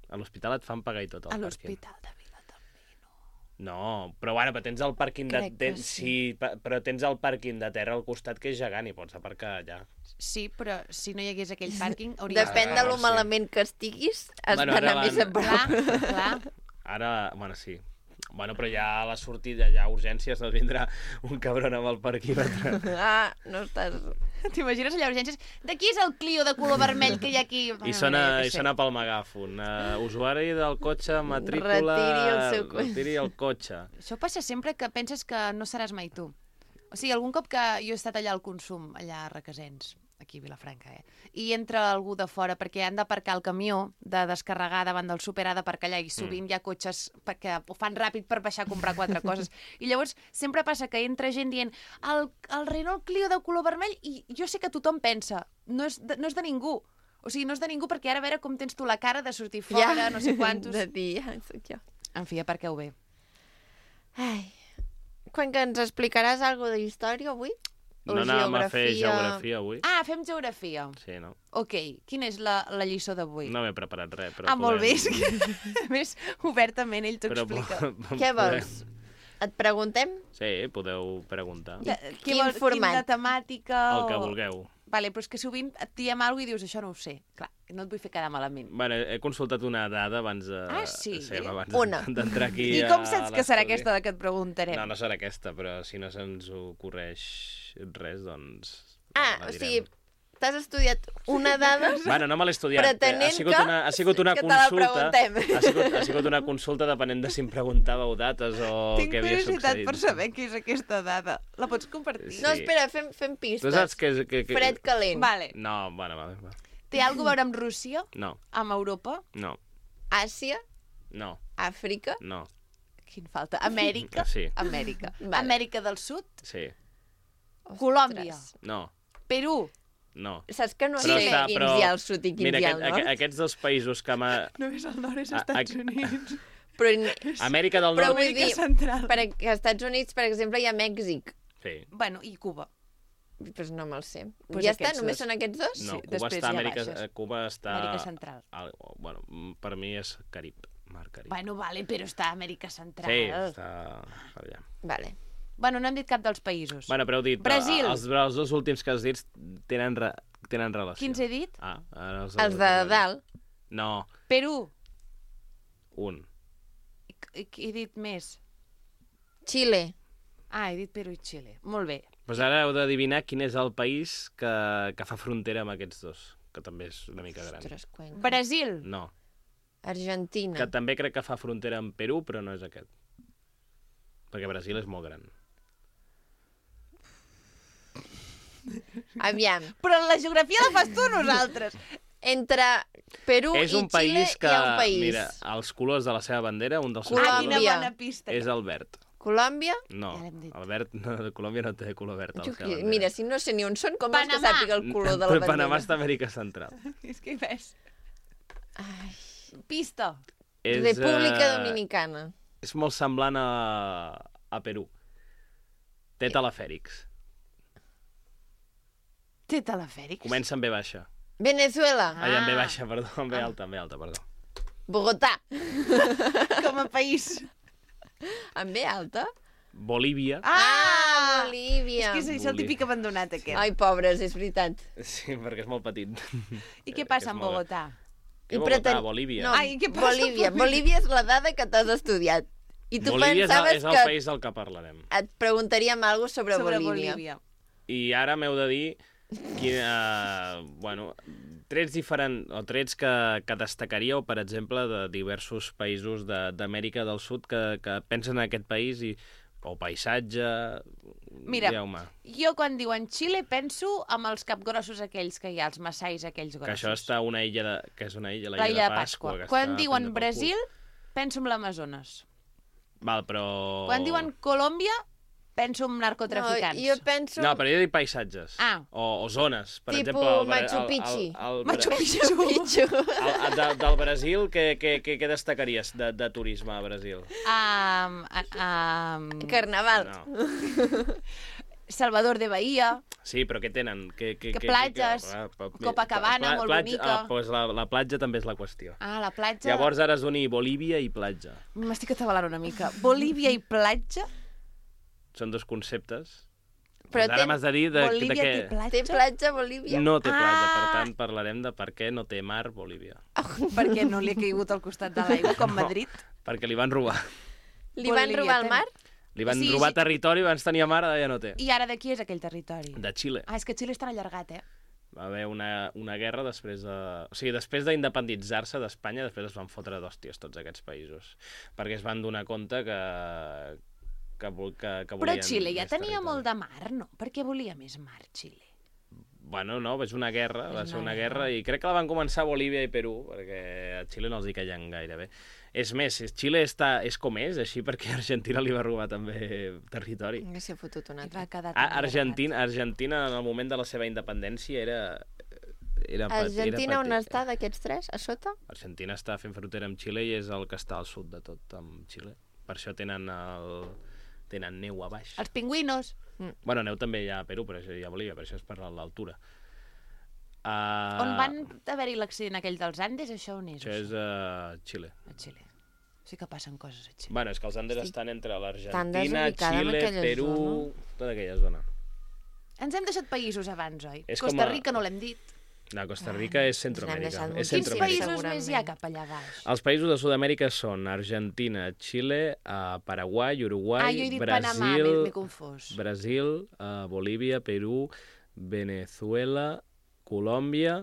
A l'hospital et fan pagar i tot, A al pàrquing. l'hospital de Vilatorrada. No, però bueno, però tens el pàrquing de... Crec que Tens, sí. sí, pa- però tens el pàrquing de terra al costat que és gegant i pots aparcar allà. Sí, però si no hi hagués aquell pàrquing, hauria... Depèn de lo sí. malament que estiguis, has Bueno, ara d'anar més a van- prop. Clar, clar. Ara, bueno, sí. Bueno, però ja a la sortida, ja a urgències, no vindrà un cabron amb el parquímetre. Ah, no estàs... T'imagines allà a urgències? De qui és el Clio de color vermell que hi ha aquí? I sona, i sona pel megàfon. Uh, usuari del cotxe, matrícula... Retiri el seu cotxe. Retiri el cotxe. Això passa sempre que penses que no seràs mai tu. O sigui, algun cop que jo he estat allà al Consum, allà a Requesens, aquí a Vilafranca, eh? I entra algú de fora perquè han d'aparcar el camió de descarregar davant del súper, ha d'aparcar allà i sovint mm. hi ha cotxes que ho fan ràpid per baixar a comprar quatre coses. I llavors sempre passa que entra gent dient el, el Renault Clio de color vermell i jo sé que tothom pensa, no és de, no és de ningú. O sigui, no és de ningú perquè ara a veure com tens tu la cara de sortir fora, Ja, no sé quantos... de dir, ja, soc jo. En fi, aparqueu bé. Ai. Quan que ens explicaràs alguna de història avui? O No anàvem a fer geografia? geografia avui? Ah, fem geografia. Sí, no? Ok, quina és la, la lliçó d'avui? No m'he preparat res, però Ah, molt bé. podem- És que, a més, obertament ell t'ho Però explica. po- Què podem- vols? Et preguntem? Sí, podeu preguntar. De, Quin vol- format? Quina temàtica? El que o- vulgueu. Vale, però és que sovint et diem alguna cosa i dius, això no ho sé. Clar, no et vull fer quedar malament. Bueno, he consultat una dada abans de... Ah, sí? abans Una. d'entrar aquí I com a saps que serà l'estudi. aquesta de què et preguntarem? No, no serà aquesta, però si no se'ns ocorreix res, doncs... Ah, la o direm. sigui, t'has estudiat una dada Bueno, no me l'he estudiat. pretenent ha sigut que- una, ha sigut una que te la consulta... preguntem. Ha sigut, ha sigut una consulta depenent de si em preguntàveu dates o Tinc què havia curiositat succeït. per saber què és aquesta dada. La pots compartir? Sí. No, espera, fem, fem pistes. Tu saps que... és- que, que... Fred calent. Vale. No, bueno, vale, va. Té alguna a veure amb Rússia? No, Amb Europa? no, Àsia, no, Àfrica, no. Quin falta? Amèrica? Sí. Amèrica. Vale. Amèrica del Sud? Sí, Colòmbia? no, Perú? no. Saps que no Però sé està- quins però- hi ha al sud i quins Mira, hi ha aquest, al nord? aquest, aquests dos països que m'ha... Només el nord és A- Estats a- Units. Però, Amèrica del però Nord... vull Amèrica dir, Central. per, als Estats Units, per exemple, hi ha Mèxic. Sí. Bueno, i Cuba. Doncs no me'l sé. Pues ja està? aquests Només dos. són aquests dos? No, Sí, Cuba després està a ja Amèrica, baixes. eh, Cuba està... Amèrica Central. Al, bueno, mm, per mi és Carib, Mar Carib. Bueno, vale, però està a Amèrica Central. Sí, està allà. Vale. Bueno, no hem dit cap dels països. Bueno, però heu dit... Brasil. Els, els dos últims que has dit tenen, re, tenen relació. Quins he dit? Ah, ara els, Els de dalt. No, Perú. un. I, i, he dit més. Xile. Ah, he dit Perú i Xile. Molt bé. Pues ara heu d'adivinar quin és el país que, que fa frontera amb aquests dos, que també és una mica gran. Ostres, Cuenca. Brasil. No, Argentina. que també crec que fa frontera amb Perú, però no és aquest. Perquè Brasil és molt gran. Aviam. Però la geografia la fas tu nosaltres. Entre Perú és un i Xile país que, hi ha un país. mira, els colors de la seva bandera, un dels seus Ah, Colòmbia. quina colors bona pista. és el verd. Colòmbia? No, Ja l'hem dit. el verd, no, Colòmbia no té color verd a la Jo, seva qui- bandera. mira, si no sé ni on són, com vols que Panamà. sàpiga el color de la Però bandera? Panamà està a Amèrica Central. És que hi ves. Ai, Pista. És, República eh, Dominicana. És molt semblant a, a Perú. Té telefèrics. Té telefèrics. Comença amb B baixa. Venezuela. Ah, amb B Ah. baixa, perdó, amb B alta, amb B alta, perdó. Bogotà. Com a país. Amb B alta? Bolívia. Ah, Bolívia. És que és el típic abandonat, aquest. Ai, pobres, és veritat. Sí, perquè és molt petit. I què que passa és amb molt- Bogotà? Què Bogotà? Bolívia. No, Ai, què passa amb Bolívia. Bolívia? Bolívia és la dada que t'has estudiat. I tu Bolívia és el, pensaves és el que país del que parlarem. et preguntaríem alguna cosa sobre, Sobre Bolívia. Bolívia. I ara m'heu de dir quina, uh, bueno, trets diferents, o trets que, que destacaríeu, per exemple, de diversos països de- d'Amèrica del Sud que, que pensen en aquest país i o paisatge... Mira, digueu-me, jo quan diuen Xile penso amb els capgrossos aquells que hi ha, els massais aquells grossos. que això està a una illa de, que és una illa, la, La illa de Pasqua. que Quan està diuen prendre pel Brasil, cul. penso en l'Amazones. Val, però... Quan diuen Colòmbia, penso en narcotraficants. No, jo penso... No, però jo dic paisatges. Ah. O, o zones. Per Tipo exemple, el, Machu el, Picchu. El, el, el, Machu Picchu. Machu Picchu. El, el, de, del Brasil, què, què, què, què destacaries de, de turisme a Brasil? Um, um, Carnaval. No. Salvador de Bahia. Sí, però què tenen? Que, que, Que platges, Copacabana, molt bonica. Ah, doncs la, la platja també és la qüestió. Ah, la platja... Llavors ara es doni Bolívia i platja. M'estic atabalant una mica. Bolívia i platja? Són dos conceptes. Però Doncs ara té- m'has de dir de, de Bolívia què... té platja? Té platja a Bolívia? No té platja, Ah! per tant parlarem de per què no té mar Bolívia. Perquè no li ha caigut al costat de l'aigua, com Madrid. Perquè li van robar. Li van Bolívia robar el té- mar? Li van Sí, robar sí. territori, abans tenia mar, ara ja no té. I ara de qui és aquell territori? De Xile. Ah, és que Xile és tan allargat, eh? Va haver una, una guerra després de... O sigui, després d'independitzar-se d'Espanya, després es van fotre d'hòsties tots aquests països. Perquè es van donar compte que... que, vol- que, que Però volien Xile ja més tenia territori. molt de mar, no? Per què volia més mar, Xile? Bueno, no, és una guerra, va És ser una una guerra, i crec que la van començar Bolívia i Perú, perquè a Xile no els hi caien gaire bé. És més, Xile està, és com és, així perquè Argentina li va robar també territori. Que s'ha fotut un Et altre. va quedar A, tan Argentina, Argentina, en el moment de la seva independència, era... era pet- Argentina era on petit. està d'aquests tres? A sota? Argentina està fent frontera amb Xile i és el que està al sud de tot, amb Xile. Per això tenen, el... tenen neu a baix. Els pingüinos. Bueno, neu també hi ha a Perú, però això hi ha a Bolívia, per això és per l'altura. Uh, On van haver-hi l'accident aquell dels Andes, això on és? Això és a Xile. A Xile. Sí que passen coses a Xile. Bueno, és que els Andes Estic estan entre tan l'Argentina, desubicada en Xile, aquella Perú... zona. Tota aquella zona. Ens hem deixat països abans, oi? És com Costa a- Rica no l'hem dit. No, Costa Rica és Centroamèrica. deixat És moltíssims Quins Centroamèrica. països segurament. més hi ha cap allà baix? Els països de Sud-amèrica són Argentina, Xile, uh, Paraguai, Uruguai, Ah, jo he dit Brasil, Panamà, m'he- m'he confós. Brasil, uh, Bolívia, Perú, Venezuela, Colòmbia,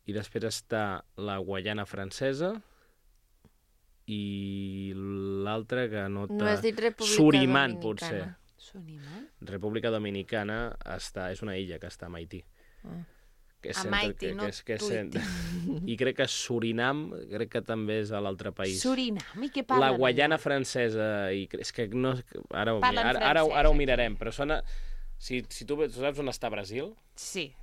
i després està la Guaiana francesa i l'altra que no... No has dit República Surinam, Dominicana. potser. Surinam? República Dominicana està, és una illa que està a Haití. Ah. Que és A centre- Haití, que, no que és, que és, Tuiti. cent- I crec que Surinam, crec que també és a l'altre país. Surinam? I què parlen? La Guaiana allà? francesa, i cre- és que no... Ara, ho, mi- Parlen ara, ara, francès, ara ho aquí. mirarem, però sona... Si, si tu, tu saps on està Brasil, Sí,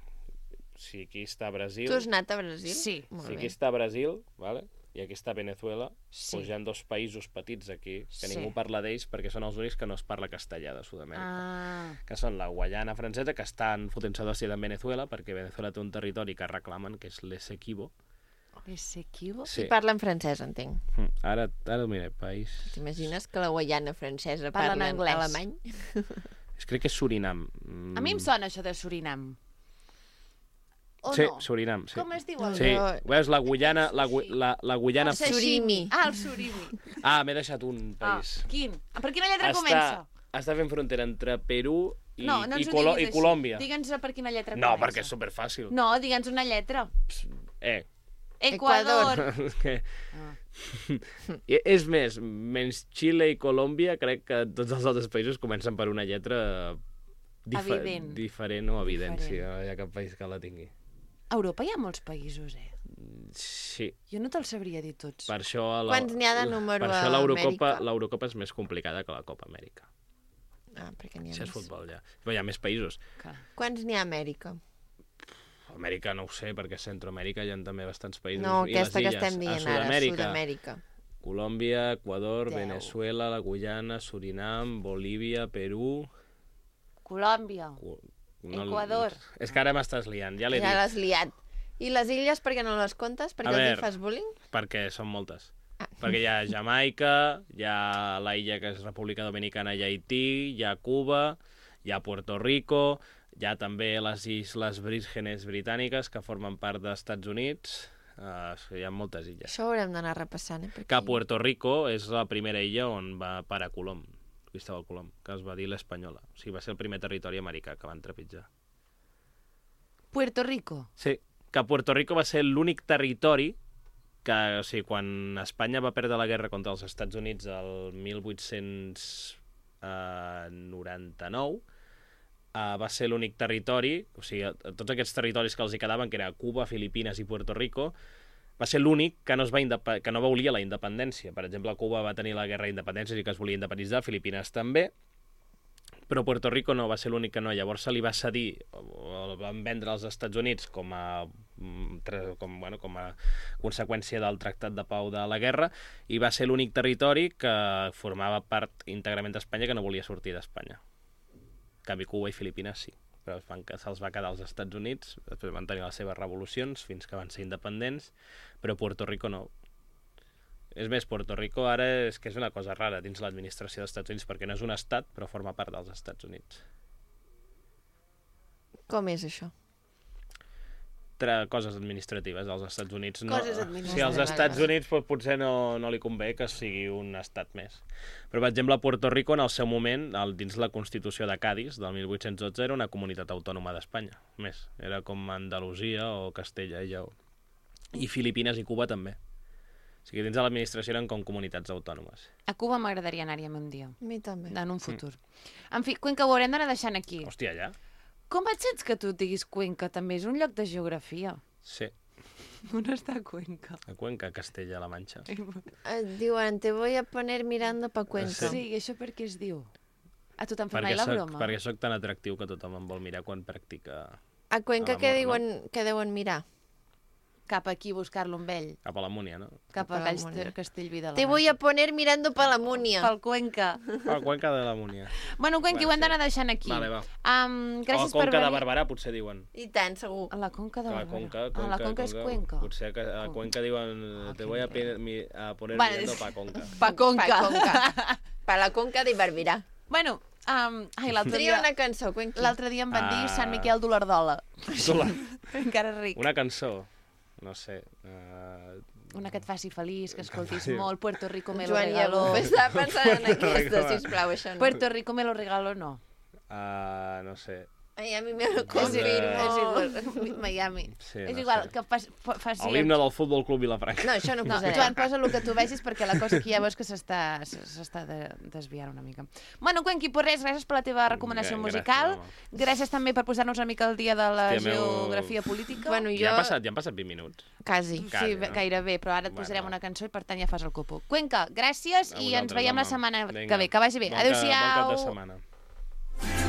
si aquí està Brasil, Tu has anat a Brasil? Sí. Molt si bé. aquí està Brasil, vale? I aquí està Venezuela, Sí. doncs hi ha dos països petits aquí, que Sí. ningú parla d'ells perquè són els únics que no es parla castellà de Sud-amèrica. ah, Que són la Guaiana francesa, que estan fotent-se d'hòstia en Venezuela, perquè Venezuela té un territori que reclamen, que és l'Essequibo. Essequibo? Sí. I parla en francès, entenc. Mm, Ara, ara mira, país... T'imagines que la Guaiana francesa Parlen parla en anglès. alemany? És, crec que és Surinam. Mm. A mi em sona això de Surinam. O Sí, no? Surinam, sí. Com es diu el Sí, No. veus, la Guyana... La, Gu- la, la Guyana... El sashimi. Surimi. Ah, el surimi. Ah, m'he deixat un Ah, país. quin? Per quina lletra comença? està fent frontera entre Perú i, no, no i, ens ho Colo diguis i així. Colòmbia. Digue'ns per quina lletra No, comença. perquè és superfàcil. No, digue'ns una lletra. Eh, Equador. és que... Ah. I- És més, menys Xile i Colòmbia, crec que tots els altres països comencen per una lletra dife Evident. diferent o evident, Diferent. sí, no hi ha cap país que la tingui. A Europa hi ha molts països, eh? Sí, Jo no te'ls sabria dir tots. per això... La, Quants n'hi ha de número Per això a l'Eurocopa Amèrica? l'Eurocopa és més complicada que la Copa Amèrica. Ah, perquè n'hi ha Si és més. futbol, ja. Però hi ha més països. Clar. Quants n'hi ha a Amèrica? Amèrica no ho sé, perquè a Centroamèrica hi ha també bastants països. No, I aquesta les que illes. estem A dient ara, Sud-amèrica, Sud-amèrica. Colòmbia, Equador, Deu. Venezuela, la Guyana, Surinam, Bolívia, Perú... Colòmbia. Cu- Equador. És que ara m'estàs liant, ja l'he Ja dit. l'has liat. I les illes, per què no les comptes? Perquè A els hi veure. fas bullying? Perquè són moltes. Ah. Perquè hi ha Jamaica, hi ha la illa que és República Dominicana i Haití, hi ha Cuba, hi ha Puerto Rico, hi ha també les Isles Vírgenes Britàniques que formen part dels Estats Units. Uh, hi ha moltes illes. Això ho haurem d'anar repassant, eh? Que Puerto Rico és la primera illa on va parar Colom, Cristóbal Colom, que es va dir l'Espanyola. O sigui, va ser el primer territori americà que van trepitjar. Puerto Rico. Sí, que Puerto Rico va ser l'únic territori que, o sigui, quan Espanya va perdre la guerra contra els Estats Units el mil vuit-cents noranta-nou, uh, va ser l'únic territori, o sigui, a- a tots aquests territoris que els hi quedaven, que era Cuba, Filipines i Puerto Rico, va ser l'únic que no es va indep- que no volia la independència. Per exemple, Cuba va tenir la guerra d'independència i que es volia independitzar, Filipines també, però Puerto Rico no va ser l'únic que no. Llavors se li va cedir, o el van vendre als Estats Units com a, com, bueno, com a conseqüència del Tractat de Pau de la Guerra, i va ser l'únic territori que formava part íntegrament d'Espanya que no volia sortir d'Espanya. En canvi, Cuba i Filipines sí, però se'ls va quedar als Estats Units, després van tenir les seves revolucions fins que van ser independents, però Puerto Rico no. És més, Puerto Rico ara és que és una cosa rara dins l'administració dels Estats Units, perquè no és un estat, però forma part dels Estats Units. Com és això? Tra coses administratives als Estats Units. No, Coses administratives. Si als Estats Units pues, potser no, no li convé que sigui un estat més. Però, per exemple, Puerto Rico, en el seu moment, el, dins la Constitució de Cadis, del mil vuit-cents dotze, era una comunitat autònoma d'Espanya. Més, era com Andalusia o Castella i Lleó. I Filipines i Cuba també. O sigui, dins de l'administració eren com comunitats autònomes. A Cuba m'agradaria anar-hi un dia. A mi també. En un futur. Mm. En fi, Cuenca ho haurem d'anar deixant aquí. Hòstia, ja? Com et sents que tu diguis Cuenca? També és un lloc de geografia. Sí. On està Cuenca? A Cuenca, Castella-La Manxa. Et diuen, te voy a poner mirando pa Cuenca. Sí, i això per què es diu? A tu t'han fet Perquè mai la soc, broma? perquè sóc tan atractiu que tothom em vol mirar quan practica A Cuenca a què l'amor, diuen que deuen mirar? Cap aquí, buscar-lo amb ell. cap a la Múnia, no? Cap a Cap a la Galls Múnia. Castellví de la Te voy a poner mirando pa la Múnia. Pel Cuenca. A Cuenca de la Múnia. Bueno, Cuenca, Bueno, ho hem sí. d'anar deixant aquí. Vale, va. Um, O gràcies a Conca per de venir. Barberà, potser diuen. I tant, segur. A la Conca de A la Barberà. Conca, Ah, Conca, la Conca és Cuenca. Potser que a Cuenca diuen Ah, te quin voy a, raro. mi, a poner Vale, mirando és- pa Conca. Pa Conca. Pa Conca. Pa la Conca de Barberà. Bueno, um, ai, l'altre Tria dia, una cançó, Cuenqui. l'altre dia em van dir Ah. Sant Miquel d'Olardola. Sola. Encara ric. Una cançó, no sé... Uh... Una que et faci feliç, que escoltis Sí. molt. Puerto Rico me lo Joan regaló. Llavó, estava pensant en Puerto aquesta, Rico. sisplau, això no. Puerto Rico me lo regaló, no. Uh, no sé. Ai, a mi me lo És confirmo. igual, és igual. Miami. Sí, és no igual, sé. que fas, fa- faci... L'himne del Futbol Club Vilafranca. No, això no ho No, posarem. Joan, posa el que tu vegis perquè la cosa aquí ja veus que s'està s'està de, desviant una mica. Bueno, Cuenqui, per res, gràcies per la teva recomanació Gràcies, musical. home. Gràcies també per posar-nos una mica al dia de la Hòstia, meu- geografia política. Bueno, Ja jo... han passat, ja han passat vint minuts. Quasi. Sí, Quasi, no? gairebé, però ara et Bueno, posarem va. una cançó i per tant ja fas el copo. Cuenca, gràcies A i ens vosaltres, veiem la home. setmana Vinga. que ve. Que vagi bé. Bon ca- Adéu-siau. Bon cap de setmana.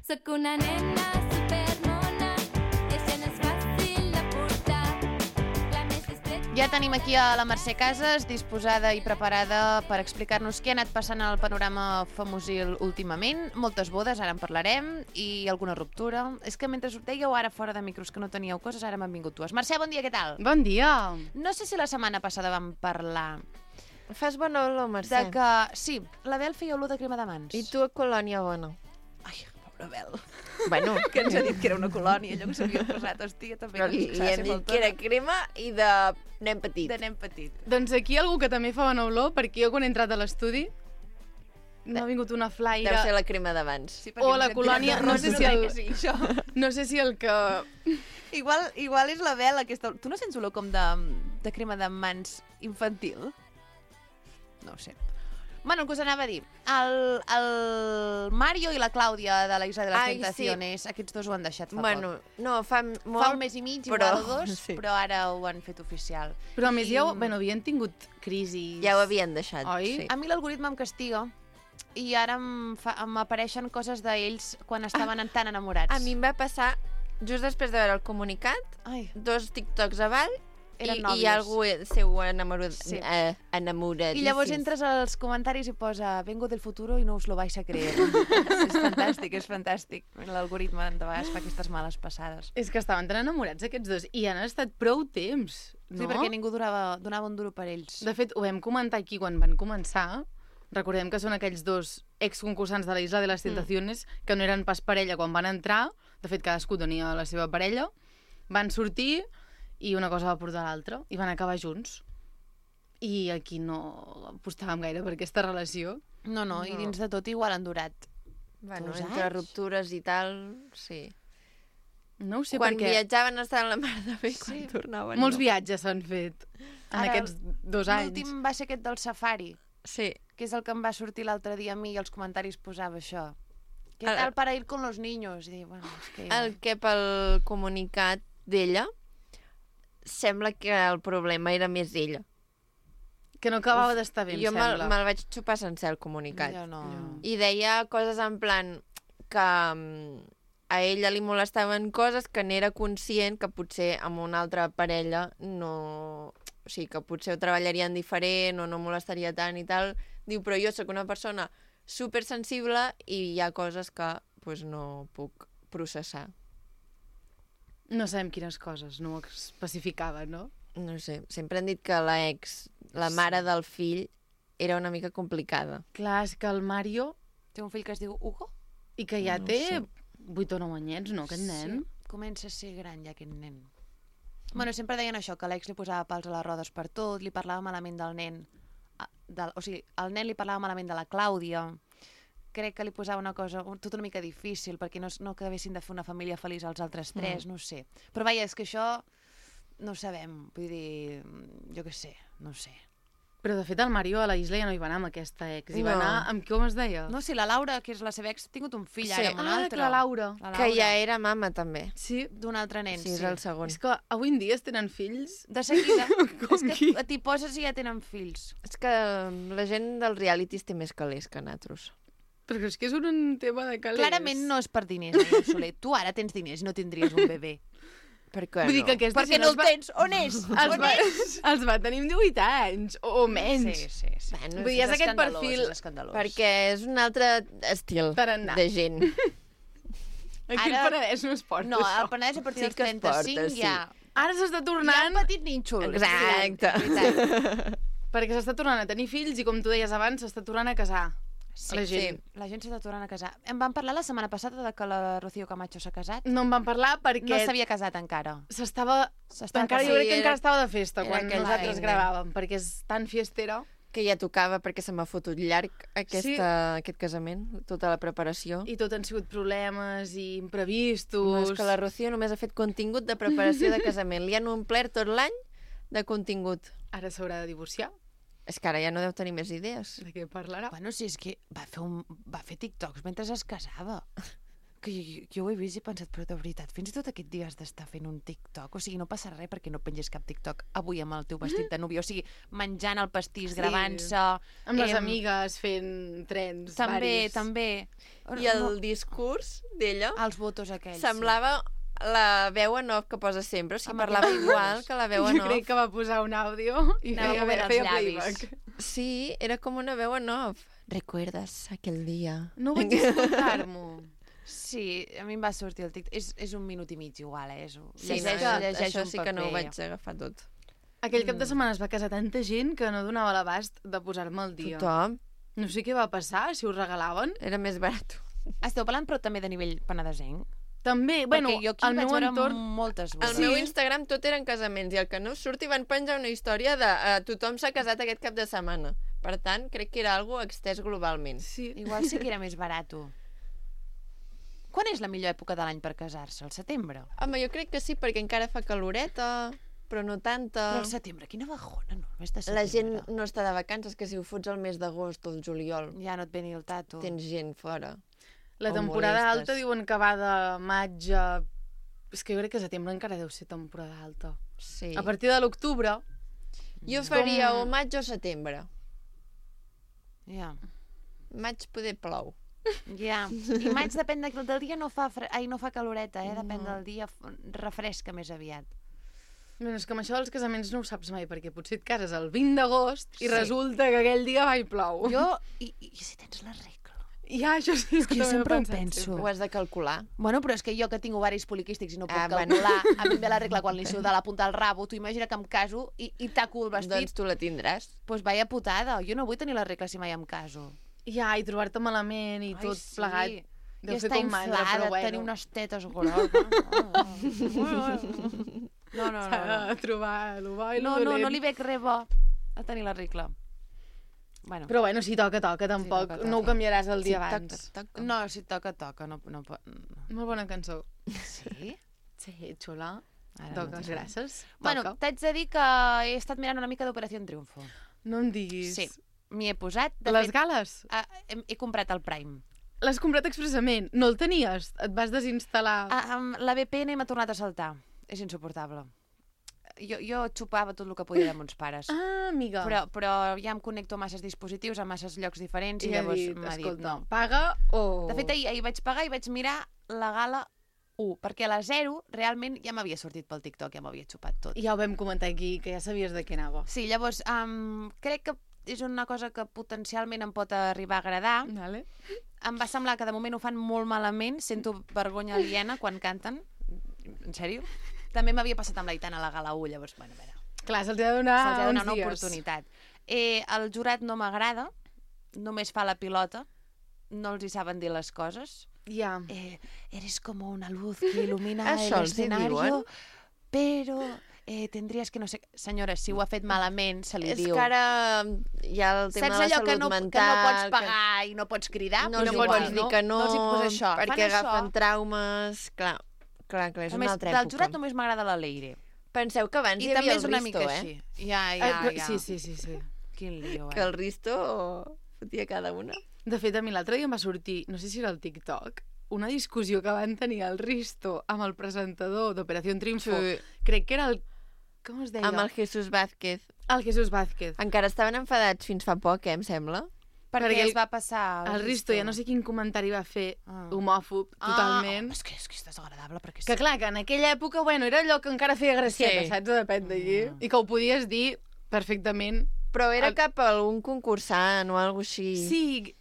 Sóc una nena supermona, i això no és fàcil de portar. La més discreta... Ja tenim aquí a la Mercè Casas, disposada i preparada per explicar-nos què ha anat passant al panorama famosil últimament. Moltes bodes, ara en parlarem, i alguna ruptura. És que mentre us dèieu ara fora de micros que no teníeu coses, ara m'han vingut dues. Mercè, bon dia, què tal? Bon dia! No sé si la setmana passada vam parlar Fas bona olor, de Mercè. que... Sí, la Bel feia olor de crema de mans. I tu a colònia bona. Ai, pobra Bel. Bueno, Que ens ha dit que era una colònia, allò que s'havia posat. Hòstia, també però que li, ens li s'ha hem de ser dit que era crema i de nen petit. de nen petit. Doncs aquí algú que també fa bona olor, perquè jo quan he entrat a l'estudi m'ha vingut una Deu flaire... ser la crema d'abans. Sí, O la ens hem colònia, tirat de no sé rostre, si crec el- que sí, això. No sé si el que... Igual, igual és la Bel aquesta... Tu no sents olor com de, de crema de mans infantil? No ho sé. Bueno, el que us anava a dir. El, el Mario i la Clàudia de la Isla de les Ai, Tentaciones, sí. Aquests dos ho han deixat fa Bueno, poc. no, fa molt... Fa un mes i mig, però- igual o dos, sí. però ara ho han fet oficial. Però a més I, ja ho, bueno, havien tingut crisis. Ja ho havien deixat, Oi? sí. A mi l'algoritme em castiga i ara em, fa, em apareixen coses d'ells quan estaven tan enamorats. A mi em va passar, just després de veure el comunicat, Ai, dos TikToks avall Eren i, nòvios. i algú seu enamorat, Sí. eh, enamoradíssim. I llavors entres als comentaris i posa vengo del futuro i no us lo vais a creer. És fantàstic, és fantàstic. L'algoritme de vegades fa aquestes males passades. És que estaven tan enamorats aquests dos i han estat prou temps, no? Sí, perquè ningú durava, donava un duro per ells. De fet, ho vam comentar aquí quan van començar. Recordem que són aquells dos exconcursants de la Isla de les Tentaciones mm. que no eren pas parella quan van entrar. De fet, cadascú tenia la seva parella. Van sortir i una cosa va portar l'altra i van acabar junts. I aquí no apostàvem gaire per aquesta relació. No, no, i No. dins de tot igual han durat. Bueno, dos entre anys. ruptures i tal, sí. No ho sé Quan perquè viatjaven estaven la mar de bé, Sí. quan tornaven molts no. viatges s'han fet en Ara, aquests dos anys. L'últim va ser aquest del safari, Sí. que és el que em va sortir l'altre dia a mi i als comentaris posava això. Què El- tal para ir con los niños? I dic, bueno, és que ja... El que pel comunicat d'ella sembla que el problema era més ella. Que no acabava d'estar bé, em jo me'l sembla. me vaig xupar sencer el comunicat. Jo no... No. I deia coses en plan que mm, a ella li molestaven coses que n'era conscient que potser amb una altra parella no... O sigui, que potser ho treballarien diferent o no molestaria tant i tal. Diu, però jo sóc una persona supersensible i hi ha coses que pues, no puc processar. No sabem quines coses, no ho especificava, no? No sé, sempre han dit que la ex, la mare del fill, era una mica complicada. Clar, és que el Mario, Té un fill que es diu Hugo? i que ja No ho té sé. vuit o nou anyets, no, aquest nen? Sí, comença a ser gran ja aquest nen. Bueno, sempre deien això, que l'ex li posava pals a les rodes per tot, li parlava malament del nen. ah, Del, o sigui, el nen li parlava malament de la Clàudia. Crec que li posava una cosa, un- tot una mica difícil, perquè no, no acabessin de fer una família feliç als altres tres, mm. no ho sé. Però vaja, és que això no ho sabem, vull dir, jo què sé, no ho sé. Però, de fet, el Mario a la isla ja no hi va anar amb aquesta ex. Hi va No. anar amb com es deia? No, si la Laura, que és la seva ex, ha tingut un fill Sí. ara amb un Ah, altre. que la Laura. La Que ja era mama, també. Sí, d'un altre nen, Sí, és el segon. és que avui en dia es tenen fills. De seguida. Com és que qui? t'hi poses i ja tenen fills. És que la gent dels realities té més calés que nosaltres. Però és que és un tema de calés. Clarament no és per diners, Maria Soler. Tu ara tens diners i no tindries un bebè. Per què Vull dir no? que aquesta Perquè gent no els el va- tens. On és? Els On va, és? els va tenir amb divuit anys, o, o menys. Sí, sí, sí. Bueno, Vull dir, és aquest escandalós, perfil- És escandalós. Perquè és un altre estil Tarannà. de gent. Aquí Ara- el Penedès no es porta, No, això. el Penedès a partir Sí dels que es trenta-cinc porta, sí. ja... Ara s'està Hi ha tornant... un petit nínxol. Exacte. És veritat. Perquè s'està tornant a tenir fills i, com tu deies abans, s'està tornant a casar. Sí, la gent. sí. La gent s'està tornant a casar. Em van parlar la setmana passada de que la Rocío Camacho s'ha casat. No en van parlar perquè No s'havia casat encara. s'estava... S'estava Encara, jo casant. crec que Sí, encara era- estava de festa era quan aquell nosaltres feina. gravàvem, perquè és tan fiestera. Que ja tocava perquè se m'ha fotut llarg aquesta, Sí. aquest casament, tota la preparació. I tot han sigut problemes i No, imprevistos. és que la Rocío només ha fet contingut de preparació de casament. Li han omplert tot l'any de contingut. Ara s'haurà de divorciar. És que ara ja no deu tenir més idees. De què parlarà? Bueno, si és que va fer, un, va fer TikToks mentre es casava. Que jo, jo ho he vist i he pensat, però de veritat, fins i tot aquest dia has d'estar fent un TikTok. O sigui, no passa res perquè no pengis cap TikTok avui amb el teu vestit de núvia. O sigui, menjant el pastís, Sí. gravant-se... Amb les em, amigues fent trens També, varis. també. I el discurs d'ella Els votos aquells. semblava la veu en off que posa sempre. O sigui, Amb parlava aquell igual que la veu en Jo off. crec que va posar un àudio i Anava feia, movent els feia llavis. playback. Sí, era com una veu en off. ¿Recuerdas aquel día? No vaig escoltar-m'ho. Sí, a mi em va sortir el TikTok. És, és un minut i mig igual, eh? És, Sí, llegeix, no, llegeix això un sí que no ho paper. vaig agafar tot. Aquell cap de setmana es va casar tanta gent que no donava l'abast de posar-me al dia. Tothom. No sé què va passar, si ho regalaven. Era més barat. Esteu parlant, però també de nivell penedesenc? També, bueno, Perquè jo aquí el vaig meu veure entorn... moltes Al bodes. meu Instagram tot eren casaments i el que no surti van penjar una història de uh, tothom s'ha casat aquest cap de setmana. Per tant, crec que era algo extès globalment. Sí. Igual sí que era més barat. Quan és la millor època de l'any per casar-se? El setembre? Home, jo crec que sí, perquè encara fa caloreta. però no tanta. Però al setembre, quina bajona, no? El mes de setembre. La gent no està de vacances, que si ho fots al mes d'agost o el juliol, Ja no et ve ni el tato. tens gent fora. La O temporada molestes. alta diuen que va de maig a... És que jo crec que setembre encara deu ser temporada alta. Sí. A partir de l'octubre... Jo faria o maig o setembre. Ja. Maig poder plou. Ja. I maig depèn de, del dia, no fa, fre... Ai, no fa caloreta, eh? Depèn no. del dia, f- refresca més aviat. Bueno, és que amb això dels casaments no ho saps mai, perquè potser et cases el vint d'agost i Sí. resulta que aquell dia va i plou. Jo, i, i si tens la regla? Ja, això sí, És que jo també sempre ho pensat penso. Ho has de calcular. Bueno, però és que jo que tinc ovaris poliquístics i no puc Ah, ah, bueno. calcular, a mi em ve la regla quan li suda la punta del rabo, tu imagina que em caso i, i taco el vestit, Doncs tu la tindràs. doncs pues vaya putada, jo no vull tenir la regla si mai em caso. Ja, i trobar-te malament i Ai, tot sí. plegat. I Deu fer estar com mandra, inflada, però bueno. tenir unes tetes grosses. No, no, no. S'ha no. de trobar el bo i el No, no, dolent. no li veig res bo a tenir la regla. Bueno, Però bueno, si toca, toca, tampoc. toca, toca. No ho canviaràs el dia Si abans. toca, toca. no, si toca, toca. No, no, pot- no. Molt bona cançó. Sí? Sí, xula. Ara no Toques, sé. gràcies. Bueno, Toca. t'haig de dir que he estat mirant una mica d'Operació Triunfo. No em diguis. Sí, m'hi he posat. De Les fet, gales? ah, he, he comprat el Prime. L'has comprat expressament? No el tenies? Et vas desinstal·lar? Ah, um, la V P N m'ha tornat a saltar. És insuportable. Jo, jo xupava tot el que podia de mons pares. Ah, amiga. Però, però ja em connecto a masses dispositius, a masses llocs diferents, i, I ha llavors dit, m'ha dit escolta, no. paga o... De fet, ahir, ahir vaig pagar i vaig mirar la gala u, perquè a la zero realment ja m'havia sortit pel TikTok, ja m'havia xupat tot. Ja ho vam comentar aquí, que ja sabies de què anava. Sí, llavors, um, crec que és una cosa que potencialment em pot arribar a agradar. Vale. Em va semblar que de moment ho fan molt malament, sento vergonya aliena quan canten. En sèrio? També m'havia passat amb l'Aitana a la gala u, llavors, bueno, a veure, Clar, se'ls ha de donar se'ls ha de donar uns una dies. oportunitat. Eh, el jurat no m'agrada, només fa la pilota, no els hi saben dir les coses. Ja. Eh, eres como una luz que ilumina Això el els hi escenario, diuen? pero eh, tendrías que no sé... Senyora, si ho ha fet malament, se li És diu. que ara hi ha el tema Saps de la allò salut que no, mental... que no pots pagar i no pots cridar? No Pues els hi igual, pots dir que no, no els hi posa això. perquè Fan agafen això. traumes... Clar, clar, clar, és A una més, altra del època. jurat només m'agrada la Leire. Penseu que abans I hi també havia és el una Risto, mica eh? així. Ja, Eh, ja, però- ja. Sí, sí, sí, sí. Quin lío, Que eh? el Risto fotia cada una. De fet, a mi l'altre dia em va sortir, no sé si era el TikTok, una discussió que van tenir el Risto amb el presentador d'Operació Triunfo. Sí. Crec que era el... Com es deia? Amb el Jesús Vázquez. El Jesús Vázquez. Encara estaven enfadats fins fa poc, eh, em sembla. Perquè Perquè es el- va passar... El Risto ja no sé quin comentari va fer, Ah. homòfob, totalment. Ah, és que és, que és desagradable, perquè Que clar, que en aquella època, bueno, era allò que encara feia gracieta, Sí. saps? Depèn d'allí. I que ho podies dir perfectament. Però era El- cap a algun concursant o alguna així. Sí,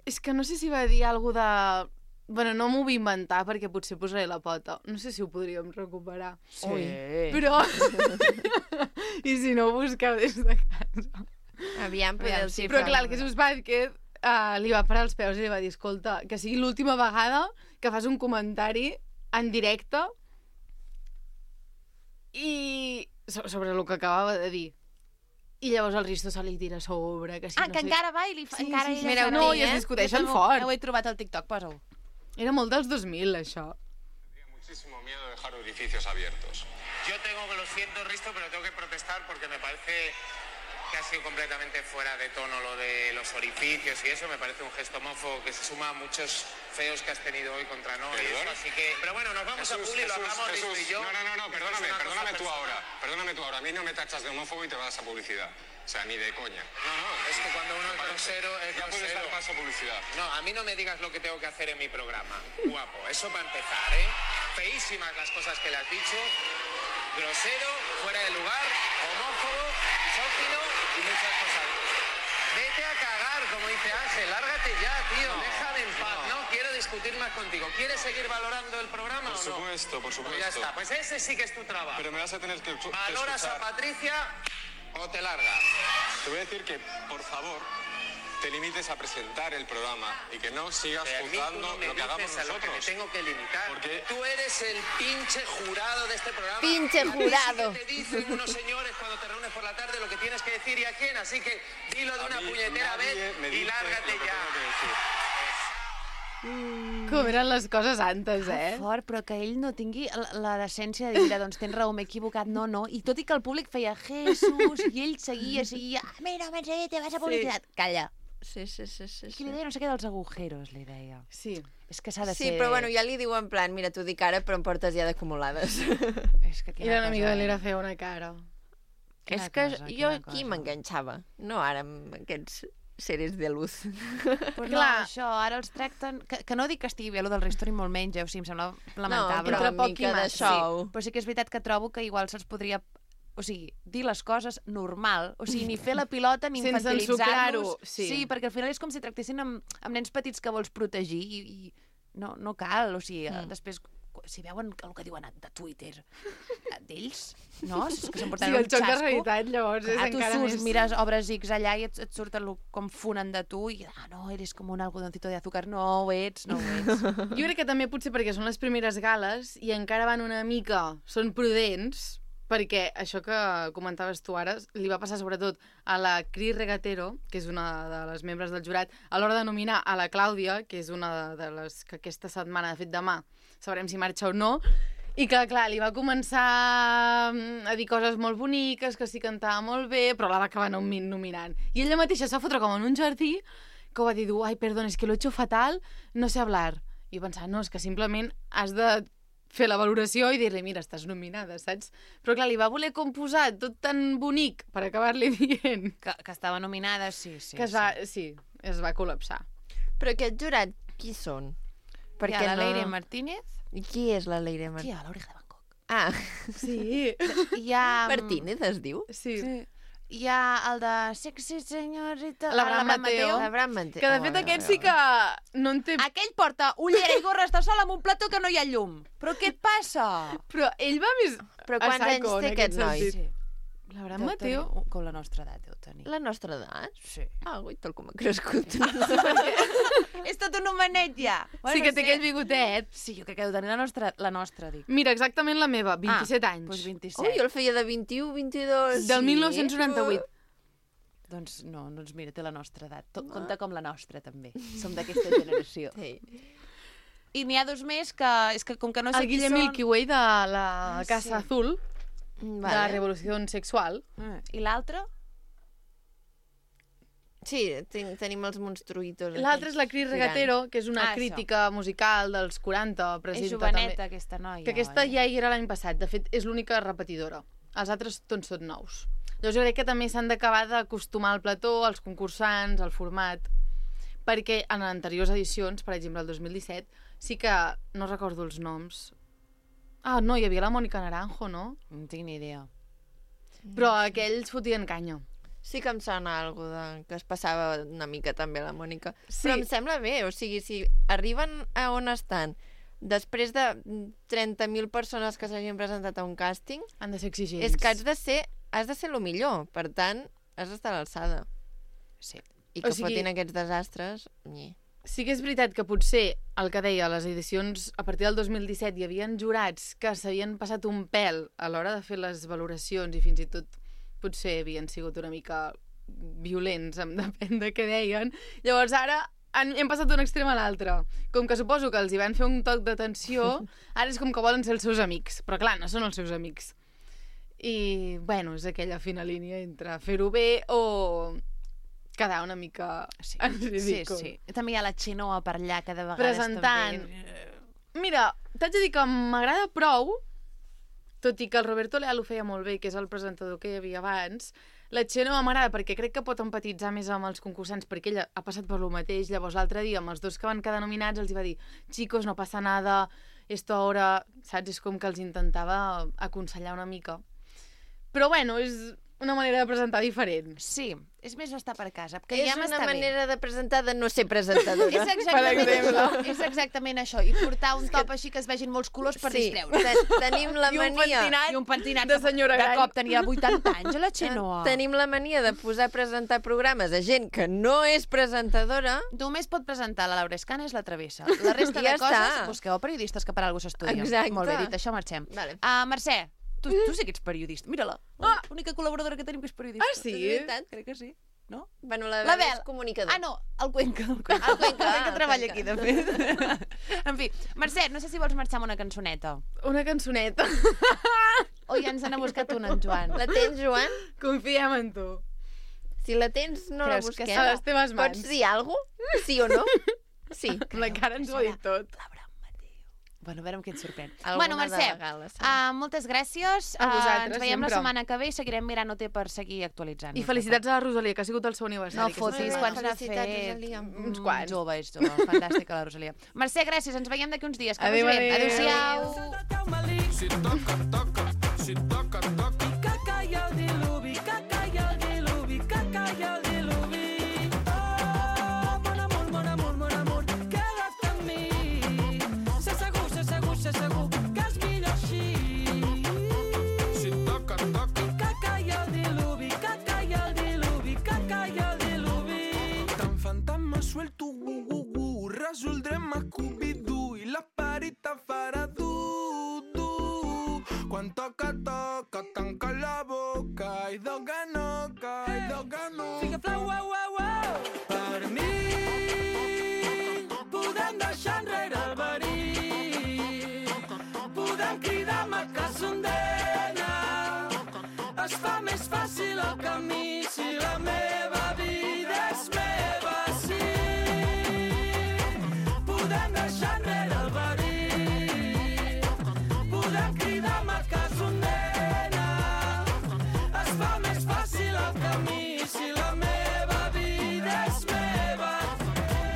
és que no sé si va dir alguna de... Bueno, no m'ho vull inventar perquè potser posaré la pota. No sé si ho podríem recuperar. Sí. Però... I si no, busqueu des de casa. Aviam, poder Aviam, el sí, sí, Però clar, el Jesús Vázquez uh, li va parar els peus i li va dir, escolta, que sigui l'última vegada que fas un comentari en directe i so- sobre el que acabava de dir. I llavors el Risto se li tira a sobre, que si Ah, no que sé... encara va i li fa... Sí, encara sí, sí. ella Mireu, fa- no, aquí, i es eh? discuteixen Jo també fort. ho he trobat al TikTok, posa-ho. Era molt dels dos mil, això. Tenía muchísimo miedo de dejar orificios abiertos. Yo tengo, que lo siento, Risto, pero tengo que protestar porque me parece que ha sido completamente fuera de tono lo de los orificios y eso. Me parece un gesto homófobo que se suma a muchos feos que has tenido hoy contra Nori. y eso, así que... Pero bueno, nos vamos a Publi, lo hablamos Risto y yo. No, no, no, no, Esto es perdóname, una cosa perdóname tú personal. ahora. Perdóname tú ahora. A mí no me tachas de homófobo y te vas a publicidad. O sea, ni de coña. No, no, es que cuando uno es grosero, es Ya puedes grosero. dar paso a publicidad. No, a mí no me digas lo que tengo que hacer en mi programa. Guapo, eso para empezar, ¿eh? Feísimas las cosas que le has dicho. Grosero, fuera de lugar, homófobo, misógino y muchas cosas. Vete a cagar, como dice Ángel. Lárgate ya, tío. No, Déjame en paz. no. No. quiero discutir más contigo. ¿Quieres seguir valorando el programa Por o no? supuesto, por supuesto. Pues ya está. Pues ese sí que es tu trabajo. Pero me vas a tener que, que ¿Valoras a escuchar. Patricia o te largas? Te voy a decir que, por favor, te limites a presentar el programa y que no sigas Eh, a mí tú juzgando no me lo que hagamos dices a lo que me nosotros. tengo que limitar. Porque- Tú eres el pinche jurado de este programa. Pinche A ti jurado. sí que te dicen unos señores cuando te reúnes por la tarde lo que tienes que decir y a quién. Así que dilo de A una mí puñetera nadie vez me y dice lárgate lo que ya. tengo que decir. Mm. Com eren les coses antes, eh? Que fort, però que ell no tingui la, la decència de dir, doncs tens raó, m'he equivocat, no, no. I tot i que el públic feia Jesús, i ell seguia, seguia, ah, mira, Mercè, te vas a publicitat. Sí. Calla. Sí, sí, sí, sí. Qui li deia no sé què dels agujeros, li deia. Sí. És que s'ha de Sí, ser... però bueno, ja li diu en plan, mira, t'ho dic ara, però em portes ja d'acumulades. És que I l'enemiga de l'era feia una cara. És que jo aquí m'enganxava, no ara amb aquests seres de luz. Però clar, no, això, ara els tracten... Que, que no dic que estigui bé, allò del Ristori molt menys, eh? O sigui, em sembla lamentable. No, però una mica de xou. Sí, però sí que és veritat que trobo que igual se'ls podria... O sigui, dir les coses normal. O sigui, ni fer la pilota ni infantilitzar-los. Sí. sí, perquè al final és com si tractessin amb, amb nens petits que vols protegir i, i no, no cal. O sigui, mm. després, si veuen el que diuen de Twitter d'ells, no? És que s'emporten sí, un el xoc xasco. de realitat, llavors, és ah, encara tu surts, més... mires, obres X allà i et, et surten com funen de tu i, ah, no, eres com un algodoncito de azúcar. No ho ets, no ho ets. Jo crec que també potser perquè són les primeres gales i encara van una mica, són prudents, perquè això que comentaves tu ara li va passar sobretot a la Cris Regatero, que és una de les membres del jurat, a l'hora de nominar a la Clàudia, que és una de les que aquesta setmana, de fet demà, sabrem si marxa o no, i que, clar, li va començar a dir coses molt boniques, que sí cantava molt bé, però la va acabar nominant. I ella mateixa s'ha fotre com en un jardí, que ho va dir, ai, perdón, es que lo he hecho fatal, no sé hablar. I pensar, no, és que simplement has de fer la valoració i dir-li, mira, estàs nominada, saps? Però clar, li va voler composar tot tan bonic per acabar-li dient... Que, que estava nominada, sí, sí. Que es va, sí, es va col·lapsar. Però aquest jurat, qui són? Perquè hi ha la no... Leire Martínez. I qui és la Leire Martínez? Qui hi ha? L'Oreja de Bangkok. Ah. Sí. Hi ha... Martínez es diu? Sí. sí. Hi ha el de Sexy Senyorita... L'Abraham Mateo. L'Abraham Mateo. Que de fet aquest sí que no en té... Aquell porta ullera i gorra, està sol amb un plató que no hi ha llum. Però què et passa? Però ell va més... Però quants anys té aquest noi? Sí. L'Abraham Mateo... Tenir, com la nostra edat deu tenir. La nostra edat? Sí. Ah, ui, tal com ha crescut. És tot un homenet ja. Bueno, sí que té sí. aquell bigotet. Sí, jo crec que deu tenir la nostra, la nostra dic. Mira, exactament la meva, vint-i-set ah, anys. Doncs vint-i-set. Ui, jo el feia de vint-i-u, vint-i-dos. Del sí, mil nou-cents noranta-vuit. Però... Doncs no, doncs mira, té la nostra edat. Tot, no. Compta com la nostra, també. Som d'aquesta generació. Sí. I n'hi ha dos més que... És que com que no sé el qui Guillem són... Milky Way de la Casa sí. Azul, vale. de la Revolució Sexual. Mm. I l'altre? Sí, ten tenim els monstruïtos. L'altre és la Cris Regatero, que és una ah, crítica això. musical dels quaranta. És joveneta, també. Aquesta noia. Que aquesta oi? ja hi era l'any passat. De fet, és l'única repetidora. Els altres tots són nous. Llavors jo crec que també s'han d'acabar d'acostumar al plató, als concursants, al format, perquè en anteriors edicions, per exemple el dos mil disset, sí que no recordo els noms. Ah, no, hi havia la Mònica Naranjo, no? No tinc ni idea. Però aquells fotien canya. Sí que em sona alguna de... que es passava una mica també a la Mònica. Sí. Però em sembla bé, o sigui, si arriben a on estan després de trenta mil persones que s'hagin presentat a un càsting... Han de ser exigents. És que has de ser, has de ser el millor, per tant, has d'estar a l'alçada. Sí. I que o sigui... fotin aquests desastres... Nyi. Sí que és veritat que potser, el que deia, a les edicions a partir del dos mil disset hi havia jurats que s'havien passat un pèl a l'hora de fer les valoracions i fins i tot potser havien sigut una mica violents, em depèn de què deien. Llavors ara han, hem passat d'un extrem a l'altre. Com que suposo que els hi van fer un toc d'atenció, ara és com que volen ser els seus amics. Però clar, no són els seus amics. I, bueno, és aquella fina línia entre fer-ho bé o quedar una mica sí, en ridícul. Sí, sí. També hi ha la Xenoa per allà, que de vegades presentant. També... Mira, t'haig de dir que m'agrada prou, tot i que el Roberto Leal ho feia molt bé, que és el presentador que hi havia abans. La Xenoa m'agrada perquè crec que pot empatitzar més amb els concursants, perquè ella ha passat per lo mateix. Llavors l'altre dia, amb els dos que van quedar nominats, els hi va dir, chicos, no passa nada, esto ahora, saps? És com que els intentava aconsellar una mica. Però bueno, és una manera de presentar diferent. Sí, és més estar per casa. Que és ja una m'està manera bé. de presentar de no ser presentadora. és, exactament és exactament això. I portar un top així que es vegin molts colors per sí, distreure. Te tenim la I un mania... pentinat, I un pentinat de senyora de gran. cop tenia vuitanta anys, la Xenoa. Tenim la mania de posar a presentar programes a gent que no és presentadora. Només pot presentar la Laura Escana és la Travessa. La resta ja de coses, està. busqueu periodistes que per alguna cosa s'estudien. Exacte. Molt bé dit, això marxem. Vale. Uh, Mercè, tu, tu sí que ets periodista. Mira-la, Ah. l'única col·laboradora que tenim que és periodista. Ah, sí? És veritat, crec que sí. no? Bueno, la La Bel Bel. és comunicador. Ah, no, el Cuenca. El Cuenca, El Cuenca, el Cuenca ah, treballa el aquí, Cuenca. de fet. En fi, Mercè, no sé si vols marxar amb una cançoneta. Una cançoneta. O ja ens n'ha buscat una, en Joan. La tens, Joan? Confiem en tu. Si la tens, no la Creus que busquem. A les teves mans. Pots dir alguna cosa? Sí o no? Sí. La cara ens ho ha dit tot. Bueno, a veure amb què et sorprèn. Alguna Bueno, Mercè, de gala, serà. uh, moltes gràcies. A vosaltres, ens veiem la sempre. setmana que ve i seguirem mirant-ho té per seguir actualitzant. I felicitats a la Rosalia, que ha sigut el seu aniversari. No aquesta fotis, setmana. quants n'ha Felicitats, fet? Rosalia. Uns quants. Jove, és jove. Fantàstica, la Rosalia. Mercè, gràcies. Ens veiem d'aquí uns dies. Que Adéu, vagi bé. adéu. Adéu-siau. Si toca, toca, si toca, toca. I caca i el diluvi, caca i el diluvi, caca i el diluvi. Oh, mon amor, mon amor, mon amor, queda't amb mi. Sé segur, sé segur, sé segur que és millor així. Si toca, toca. I caca i el diluvi, caca i el diluvi, caca i el diluvi. Tan fantasma suelto, gu, gu, gu, resoldrem a Scooby-Doo i la parita farà du, du. Quan toca, toca, tanca la boca i doga noca, i doga no. Fica flau, uau, uau, uau. Per mi podem deixar enrere el verí, podem cridar macassondena. Es fa més fàcil el camí si la meva vida és meva, sí. Podem deixar enrere el verí, podem cridar macassondena. Es fa més fàcil el camí si la meva vida és meva.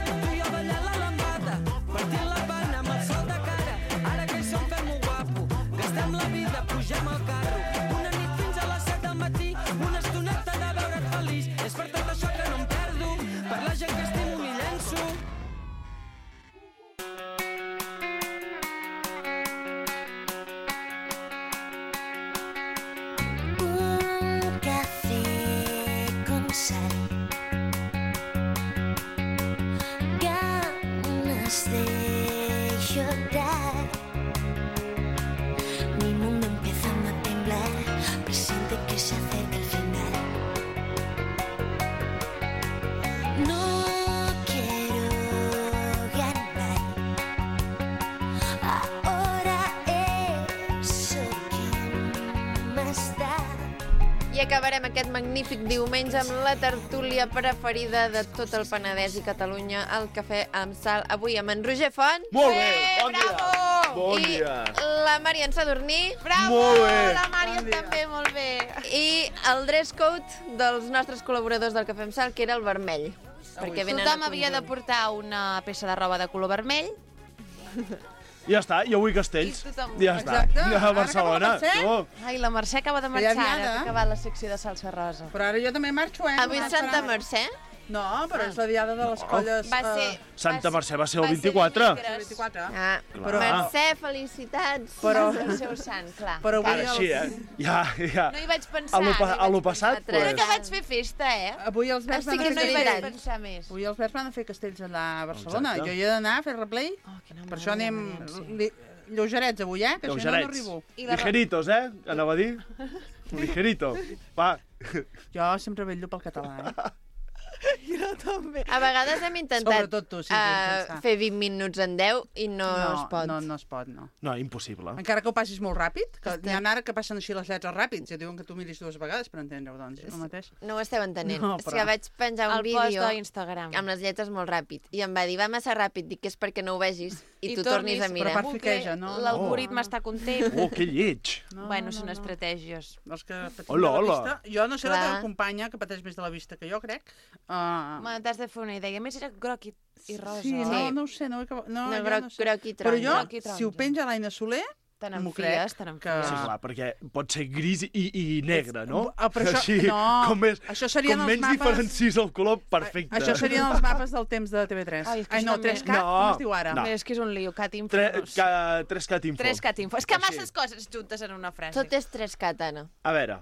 Tu i jo ballant la lambada, partint la pana amb el sol de cara. Ara que hi som fem-ho guapo, gastem la vida, pugem al carro. Una nit fins a les set del matí, una estoneta de veure't feliç. És per tot això que no em perdo, per la gent que estimo m'hi llenço. Un café con sal, ganas de llorar. Mi mundo empieza a temblar, presiente que se acerca el final. No quiero ganar, ahora eso que más da. I acabarem aquest magnífic diumenge amb la tertúlia preferida de tot el Penedès i Catalunya, el Cafè amb Sal. Avui amb en Roger Font. Molt bé, bon bravo! dia. Bon I dia. la Marian Sadurní. Bravo! Molt bé. La Mària també, molt bé. I el dress code dels nostres col·laboradors del Cafè amb Sal, que era el vermell. Perquè venen Tothom a havia de conjunt. portar una peça de roba de color vermell. Ja està, jo vull castells. I tothom- Ja està. Exacte. A Ara Barcelona. acaba de Tu. Ai, la Mercè acaba de Que ja marxar, havia ara, de. que ha acabat la secció de salsa rosa. Però ara jo també marxo, eh? Avui No és Santa m'esperava. Mercè. No, però és la diada de les colles... Va ser... eh, Santa Mercè va ser el va ser vint-i-quatre. dimecres. vint-i-quatre. Ah, Clar. Mercè, felicitats. Però, Va ser el seu sant, clar. però avui, Ara sí, eh? els, Ja, ja. No hi vaig pensar. A lo, pa- no hi a lo vaig passat, pensar. Crec pues... que vaig fer festa, eh? avui els verds Estic van Però a no fer hi vaig veritat. castells. pensar més. Avui els verds van a fer castells allà a Barcelona. Exacte. Jo hi he d'anar a fer replay. Oh, quina Per això anem meravella, sí. li, lleugerets avui, eh? Que si no, no Lleugerets. arribo. I la... Ligeritos, eh? Anava a dir. Ligerito. Va. Jo sempre vetllo pel català, eh? A vegades hem intentat Sobretot tu, sí, eh, intentar. fer vint minuts en deu i no, es pot. No, no es pot, no. No, impossible. Encara que ho passis molt ràpid, que Estem- n'hi ha ara que passen així les lletres ràpids i diuen que tu miris dues vegades per entendre-ho, doncs, el mateix. No ho esteu entenent. No, És però- que vaig penjar un El post vídeo d'Instagram. amb les lletres molt ràpid i em va dir, va massa ràpid, dic que és perquè no ho vegis i, I tu tornis, tornis a mirar. però per fiqueja, no? L'algoritme està content. Oh, que lleig. No, Bueno, no, són no. estratègies. Els que patim Hola, de la hola. vista. Jo no sé la Clar. teva companya, que pateix més de la vista que jo, crec. Uh, Me t'has de fer una idea. A més, era groc i, i rosa. sí, no, Sí. no ho sé, no, ho he acabat- no, No, jo groc, no sé. groc i Però taronja. jo, Groc i si ho taronja. penja l'Aina Soler, Te m'ho n'enfies, crec, te que- n'enfies. Sí, clar, perquè pot ser gris i, i negre, no? Ah, però això- Així, no, com, més, això serien com els menys mapes- diferencis el color, perfecte. Això serien els mapes del temps de T V tres. Ai, és que Ai, això no, també- tres cat, No, com es diu ara? no. Bé, és que és un lío, cat info. Tre, no sé. ca, tres cat info. Tres cat info. És que Així. masses coses juntes en una frase. Tot és tres cat, Anna. A veure,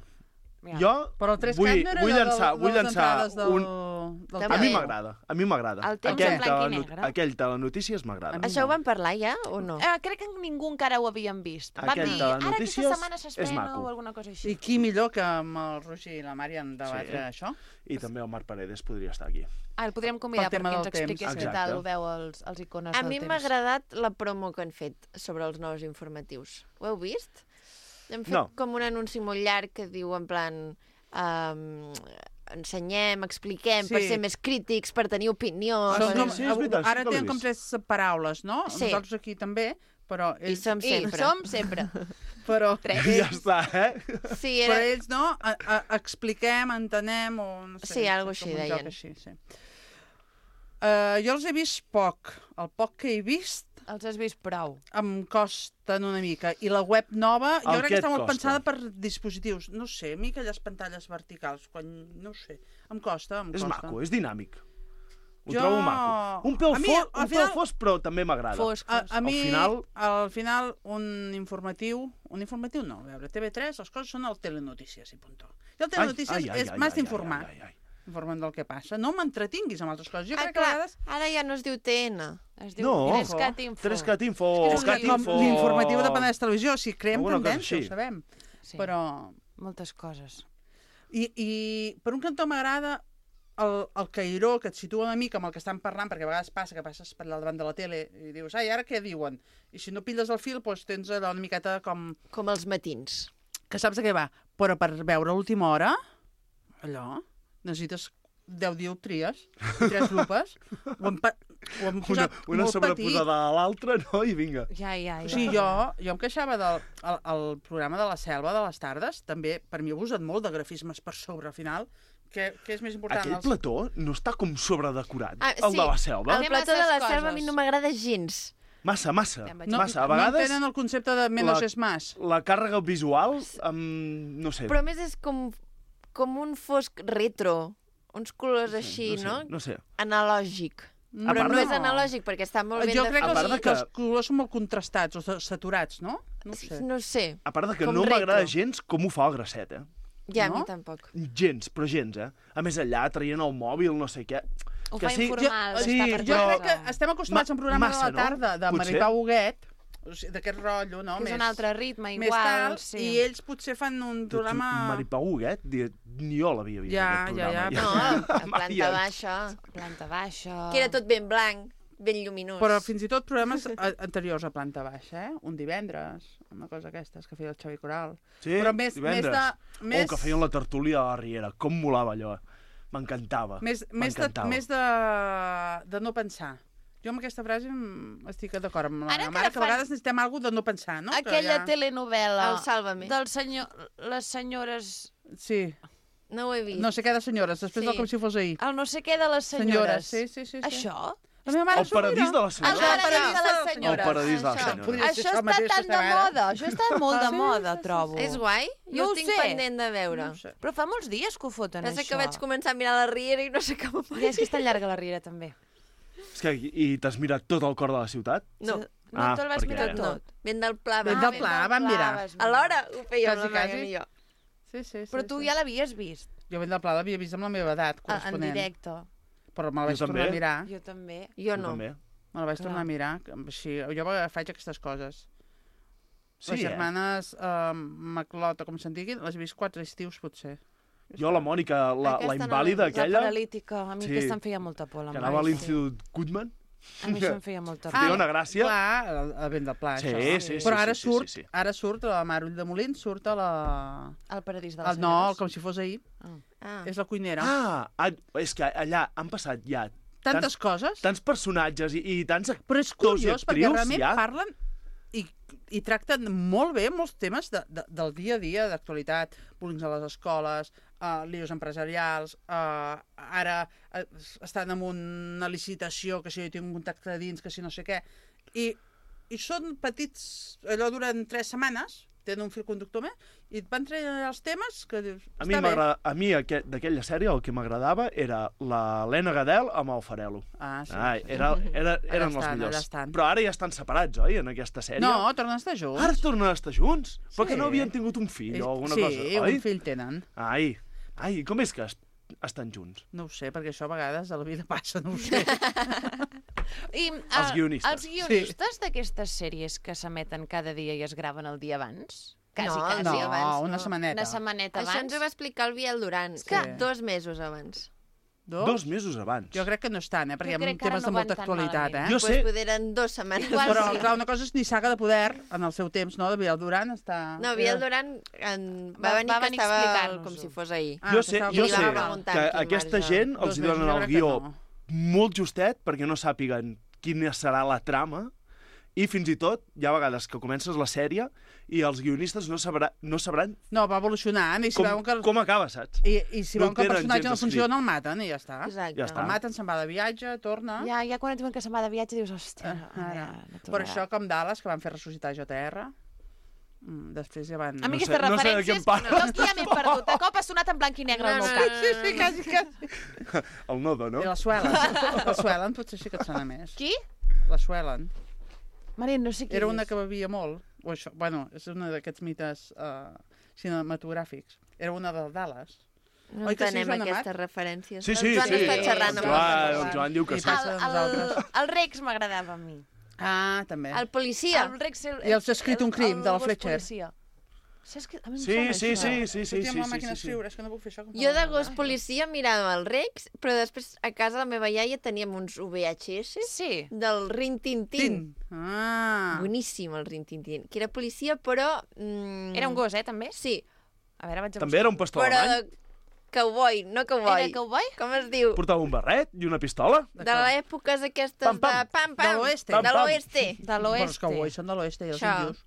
Ja. jo Però el tres vull, cat no era vull allò llançar, de, vull de les llançar entrades del, un... del També. A mi temps. m'agrada, a mi m'agrada. El temps Aquell en blanc i teleno- negre. Aquell telenotícies m'agrada. mi Això ho no. vam parlar ja o no? Eh, crec que ningú encara ho havíem vist. Vam Aquell dir, de ara aquesta notícies setmana és s'estrena maco. o alguna cosa així. I qui millor que amb el Roger i la Mària en debatre Sí. això? I també el Marc Paredes podria estar aquí. Ah, el podríem convidar Pel tema perquè ens del temps. expliqués què Exacte. tal ho veu els, els icones A del mi temps. m'ha agradat la promo que han fet sobre els nous informatius. Ho heu vist? Hem fet No. com un anunci molt llarg que diu en plan... Um, ensenyem, expliquem, Sí. per ser més crítics, per tenir opinió... Són per- com, sí, és veritat, sí ara que l'he tenen com vist. tres paraules, no? Sí. Nosaltres aquí també, però I ells... som I sempre. som sempre. Però, Tres. Ja està, eh? Sí, però era... ells, no? A, a, expliquem, entenem, o no sé. Sí, algo com així un joc deien. Així, sí. Uh, jo els he vist poc. El poc que he vist Els has vist prou. em costen una mica. I la web nova, jo El crec què que et està molt costa? pensada per dispositius. No sé, a mi aquelles pantalles verticals, quan... no ho sé, em costa, em És costa. maco, és dinàmic. Ho Jo- trobo maco. Un pèl, A mi, fo... al un final- pèl fos, però també m'agrada. Fosc, A, fosc. a mi, Al final- al final, un informatiu... Un informatiu no, a veure, T V tres, les coses són el Telenotícies i puntó. I el Telenotícies Ai, ai, ai, és ai, més ai, d'informar. ai, ai, ai. Informen del que passa. No m'entretinguis amb altres coses. Jo Ah, crec que a clar, vegades... ara ja no es diu T N. Es diu No. Trescat Info. Trescat Info, És que és un Cat Com Info... l'informatiu de Penedès Televisió, o sigui, creem Alguna cosa tendència, així. ho sabem. Sí, Però... moltes coses. I, I per un cantó m'agrada el, el cairó que et situa una mica amb el que estan parlant, perquè a vegades passa que passes per allà davant de la tele i dius, ai, ara què diuen? I si no pilles el fil, doncs tens allò una miqueta com... Com els matins. Que saps de què va. Però per veure l'última hora, allò, necessites deu dioptries i tres lupes. Ho hem, pa- ho hem Una, posat una molt petit. sobreposada a l'altra, no? I vinga. Ja, ja, ja. O sigui, jo, jo em queixava del el, el programa de la selva de les tardes, també, per mi ha abusat molt de grafismes per sobre, al final, que, que és més important. Aquell els- plató no està com sobredecorat, Ah, el sí, de la selva. El Té plató de la masses selva a mi coses. no m'agrada gens. Massa, massa. Ja em vaig- No, massa. A no vegades tenen el concepte de menos la- és más. la càrrega visual, um, no sé. Però a més és com, com un fosc retro. Uns colors no sé, així, no? no? Sé, no sé. Analògic. No. Però part no de- és analògic perquè està molt ben Jo crec que, A part els, de que... que- els colors són molt contrastats o sa- saturats, no? No ho sé. definit. No sé. A part de que Com no m'agrada retro. gens com ho fa el Grasset, eh? Ja, No? a mi tampoc. Gens, però gens, eh? A més, allà traient el mòbil, no sé què. Ho que fa sí, informal, jo- està sí, per Jo però- crec que estem acostumats Ma- a un programa massa, de la tarda no? de Potser. Maripau Huguet, o sigui, d'aquest rotllo, no? Que és més, un altre ritme, més igual. tal, sí. i ells potser fan un programa... Maripau Huguet, di- ni jo l'havia vist, Ja, aquest ja, programa. ja, No, a Mai planta en- baixa. Planta baixa... Que era tot ben blanc, ben lluminós. Però fins i tot programes a- anteriors a planta baixa, eh? Un divendres, una cosa aquestes que feia el Xavi Coral. Sí, Però més, divendres. més de... O Més, que feien la tertúlia a la Riera. Com molava allò. M'encantava. més, més, de, M'encantava. més de, de no pensar. Jo amb aquesta frase em- estic d'acord amb la Ara meva que mare, que a fan- vegades necessitem alguna de no pensar, no? Que Aquella ja- telenovela El Sálvame. del senyor... Les senyores... Sí, No ho he vist. no sé què de senyores, després Sí. del com si fos ahir. El no sé què de les Senyores, senyores. sí, sí, sí. sí. Això? La meva mare El paradís de la El senyora. paradís de les El senyores. paradís de la Això. senyora. Podria ser Això això està mateix, tan de aquesta mare. moda. Això està molt de Sí, moda, sí, sí, trobo. És guai? Jo No ho ho tinc sé. pendent de veure. No ho sé. Però fa molts dies que ho foten, Pensa això. que vaig començar a mirar la Riera i no s'acaba mai. Ja, és que és tan llarga la riera, també. És que, I t'has mirat tot el cor de la ciutat? No, No Ah, te'l vas perquè- mirar no. tot. Ben del pla. Ben vam del fer. pla, vam mirar. Alhora ho fèiem Quasi, la Maga quasi. i jo. Sí, sí, sí. Però tu sí. ja l'havies vist, Jo ben del pla l'havia vist amb la meva edat, a- en corresponent. directe. Però me la vaig Jo tornar a també. mirar. Jo també. Jo Tu no. també. Me la vaig Clar. tornar a mirar. que Així, jo faig aquestes coses. Sí, Les eh? germanes eh, Maclota, com se'n diguin, les he vist quatre estius, potser. Jo, la Mònica, la, Aquesta la no invàlida l'he vist. La aquella, paralítica, a mi Sí. aquesta em feia molta por. La que anava a Mari, l'Institut Goodman, sí. A mi això em feia molta por. feia una gràcia. Clar, el, el vent del pla, Sí, això. sí, sí, Però sí, ara sí, surt, sí, sí. ara surt la Marull de Molins, surt a la... El paradís de les El, no, senyores. el com si fos ahir. Ah. És la cuinera. Ah, ah, és que allà han passat ja Tantes tants, coses. tants personatges i, i tants Però és actors i curiós, perquè actrius realment ja. parlen i, i tracten molt bé molts temes de, de, del dia a dia, d'actualitat, bullying a les escoles, uh, líos empresarials, uh, ara uh, estan en una licitació, que si jo tinc un contacte de dins, que si no sé què, i, i són petits, allò duren tres setmanes, tenen un fil conductor més, i et van traient els temes que dius, A mi, està bé. m'agrada- a mi aqu- d'aquella sèrie el que m'agradava era l'Helena Gadel amb el Farelo. Ah, sí. Ai, era, era, eren els estan, millors. allà estan. Però ara ja estan separats, oi, en aquesta sèrie? No, tornen a estar junts. Ara tornen a estar junts? Però Sí. que no havien tingut un fill o alguna sí, cosa, oi? un fill tenen. Ai, ai, com és que es estan junts. No ho sé, perquè això a vegades a la vida passa, no ho sé. I, Els guionistes. Els guionistes d'aquestes sèries que s'emeten cada dia i es graven el dia abans? Quasi, no, quasi no, abans. una setmaneta. Una setmaneta abans. Això ens ho va explicar el Biel Duran, Sí. que dos mesos abans. Dos? Dos mesos abans. Jo crec que no és tant, eh? Perquè hi Jo ha crec que ara temes no de molta van tan actualitat, eh? malament. Jo Doncs sé- poder eren dues setmanes. Igual Però, sí. clar, una cosa és ni Saga de Poder, en el seu temps, no? De Biel Duran està... No, Biel Duran en... va, Va- venir va que venir a estava explicar-nos-ho. com si fos ahir. Ah, jo que sé, estava jo li sé va que preguntar quin aquesta marge. gent Dos els hi mesos, donen jo el crec que guió no. molt justet perquè no sàpiguen quina serà la trama i fins i tot hi ha vegades que comences la sèrie i els guionistes no, sabrà, no sabran No, va evolucionant i si com, veuen que... com acaba, saps? I, i si No veuen que el tenen personatge gens no escrit. funciona, el maten i ja està. Exacte. Ja està. El maten, se'n va de viatge, torna... Ja, ja quan et diuen que se'n va de viatge dius, hòstia, Ah, ara. no Per això, com Dallas, que van fer ressuscitar J R, mm, després ja van... A mi No sé- aquestes no sé de què em referències, parles. jo aquí ja m'he perdut. De cop ha sonat en blanc i negre al No, meu no, cap. no, Sí, sí, quasi, quasi. El nodo, no? I la Suelen. La Suelen potser sí que et sona més. Qui? La Suelen. Maria, no sé qui Era és. una que bevia molt. O això, bueno, és una d'aquests mites uh, cinematogràfics. Era una del Dallas. No Oi que sí, entenem Joan Amat? aquestes referències. Sí, sí, el Joan sí. està xerrant El amb Joan, nosaltres. el Joan diu que I sí. passa El, de el, nosaltres. el Rex m'agradava a mi. Ah, també. El policia. El Rex... El, I els ha escrit un crim, el de la gos Fletcher. policia. S'ha escrit... A mi em Sí, sona sí, això. sí, sí, sí, Estic sí, amb la sí, màquina sí, sí. d'escriure, és que no puc fer això. com Jo de fa gos la meva. policia mirava el Rex, però després a casa la meva iaia teníem uns V H S Sí. del Rin-Tin-Tin. Tin. Ah. Boníssim el Rin-Tin-Tin, que era policia, però... Mm, Era un gos, eh, també? Sí, A veure, vaig a També era un buscar. pastor però alemany? de cowboy, no cowboy. Era cowboy? Com es diu? Portava un barret i una pistola? De l'èpoques aquestes Pam, pam. de pam, pam. De l'oeste. De Pam, pam. l'oeste. De Però els l'oeste. cowboys són de l'oeste i els Això. índios.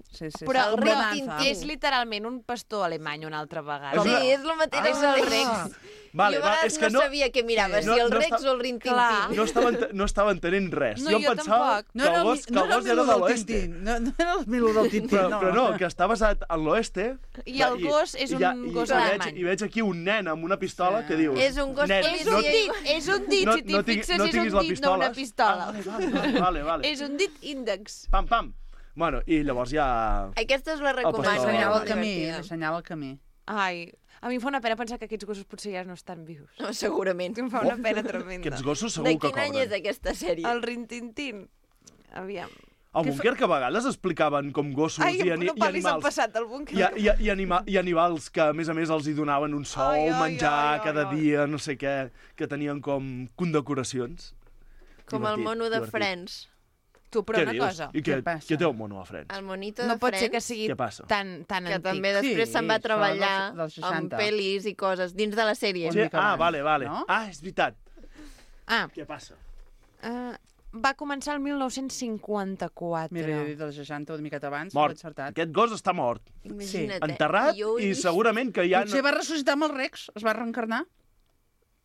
Sí, sí, Però sí. el Com Rex Bonanza. és literalment un pastor alemany una altra vegada. Sí, és el mateix. És el Rex. Vale, jo a va, vegades és que no, no, sabia què mirava, Sí. si No- el no Rex està- o el Rin-Tin-Tin. no estava, ent- no estava entenent res. No, jo em jo pensava tampoc. que el gos, que el gos era de l'oeste. Tintín. No, no era el Milo del Tintín, Però, no. però no, que està basat en l'oeste. I el gos és un ja- gos i, alemany. veig, I veig aquí un nen amb una pistola Sí. que dius... És un gos nen, policia. És no, un dit, és un dit, no, si t'hi no tinc- fixes, no és tinguis un la dit, no una pistola. pistola. Ah, vale, vale, vale, vale. És un dit índex. Pam, pam. Bueno, i llavors ja... Aquesta us la recomano. pastor. M'assenyala molt el camí, divertida. m'assenyala el camí. Ai, a mi em fa una pena pensar que aquests gossos potser ja no estan vius. No, segurament. Em fa una pena tremenda. Aquests gossos segur De que quin any és cobren. aquesta sèrie? El Rin-Tin-Tin. Aviam. Al búnquer que a vegades explicaven com gossos Ai, i, ani no i parlis en animals. passat, el búnquer. I, i, i, anima I animals que, a més a més, els hi donaven un sou, Ai, ai, menjar ai, ai, cada ai. dia, no sé què, que tenien com condecoracions. Com el Divertit, mono de divertit. Friends. Tu, però Què una dius? cosa. I què, Què passa? què té el mono a Friends? El monito No de pot ser que Friends, sigui Què passa? tan, tan que antic. també després Sí, se'n va això treballar dels- dels amb seixanta. pel·lis i coses dins de la sèrie. Una Sí? mica Ah, abans, vale, vale. no? Ah, és veritat. Ah, Què passa? uh, va començar el mil nou-cents cinquanta-quatre. Mira, jo he dit dels seixanta, una miqueta abans, Mort. l'he encertat. Aquest gos està mort. Imagina't. Enterrat Jo ho he i vist. segurament que ja... Potser va ressuscitar amb el Rex, es va reencarnar.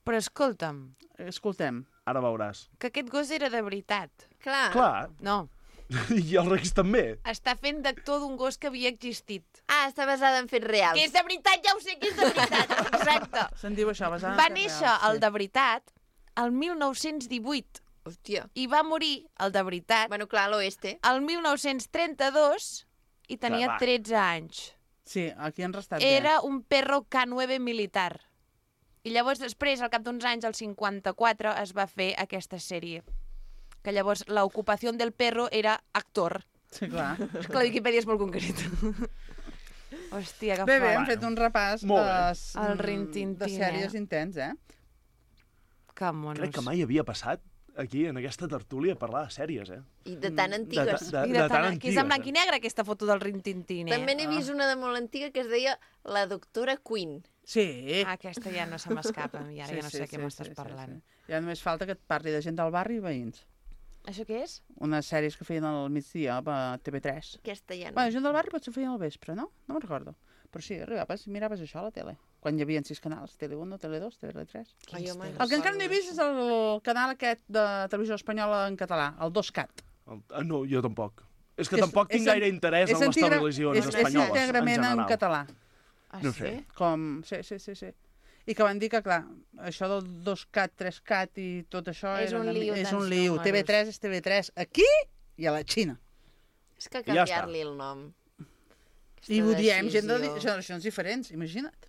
Però escolta'm, Escoltem. Ara veuràs. que aquest gos era de veritat. Clar. Clar. No, I el Rex també. està fent d'actor d'un gos que havia existit. Ah, està basada en fets reals. Que és de veritat, ja ho sé que és de veritat. Exacte. Se'n diu això, basant en Va fets néixer reals, el de veritat el mil nou-cents divuit Hòstia. i va morir el de veritat Bueno, clar, a l'oeste. el mil nou-cents trenta-dos i tenia Clar, va. tretze anys. Sí, aquí han restat bé. Era un perro K nueve militar. I llavors després, al cap d'uns anys, el cinquanta-quatre, es va fer aquesta sèrie. Que llavors l'ocupació del perro era actor. Sí, clar. És que la Viquipèdia és molt concreta. Hòstia, que Bé, bé, fort. hem fet un repàs Molt bé. es- El mm, Rin-Tin-Tin, de sèries eh? intens, eh? Que monos. Crec que mai havia passat aquí, en aquesta tertúlia, a parlar de sèries, eh? I de tan De, antigues. de, I de, de de tan tant, que és en antigues. blanc i negre, aquesta foto del Rin-Tin-Tin, eh? També n'he vist una de molt antiga que es deia La doctora Queen. Sí. Ah, aquesta ja no se m'escapa, i ara Sí, ja no sí, sé sí, què m'estàs sí, sí, parlant. sí. Ja només falta que et parli de gent del barri i veïns. Això què és? Unes sèries que feien al migdia a T V tres. Aquesta ja no. Bueno, gent del barri potser feien al vespre, no? No me'n recordo. Però sí, arribaves i miraves això a la tele. Quan hi havia sis canals, Tele uno, Tele dos, Tele tres. Ai, home, El que encara no he vist és el canal aquest de televisió espanyola en català, el dos cat. El, ah, no, jo tampoc. És que És- tampoc tinc és gaire en- interès és en les integra- televisions és, espanyoles, És íntegrament en en, general. català. Ah, No sí? sé. Com... Sí, sí, sí, sí. I que van dir que, clar, això del dos cat, tres cat i tot això És era un una, mi- lío, és tants un lío. números. T V tres és T V tres aquí i a la Xina. És que I ja està. canviar-li el nom. I ho diem, gent de decisió. di- generacions diferents, imagina't.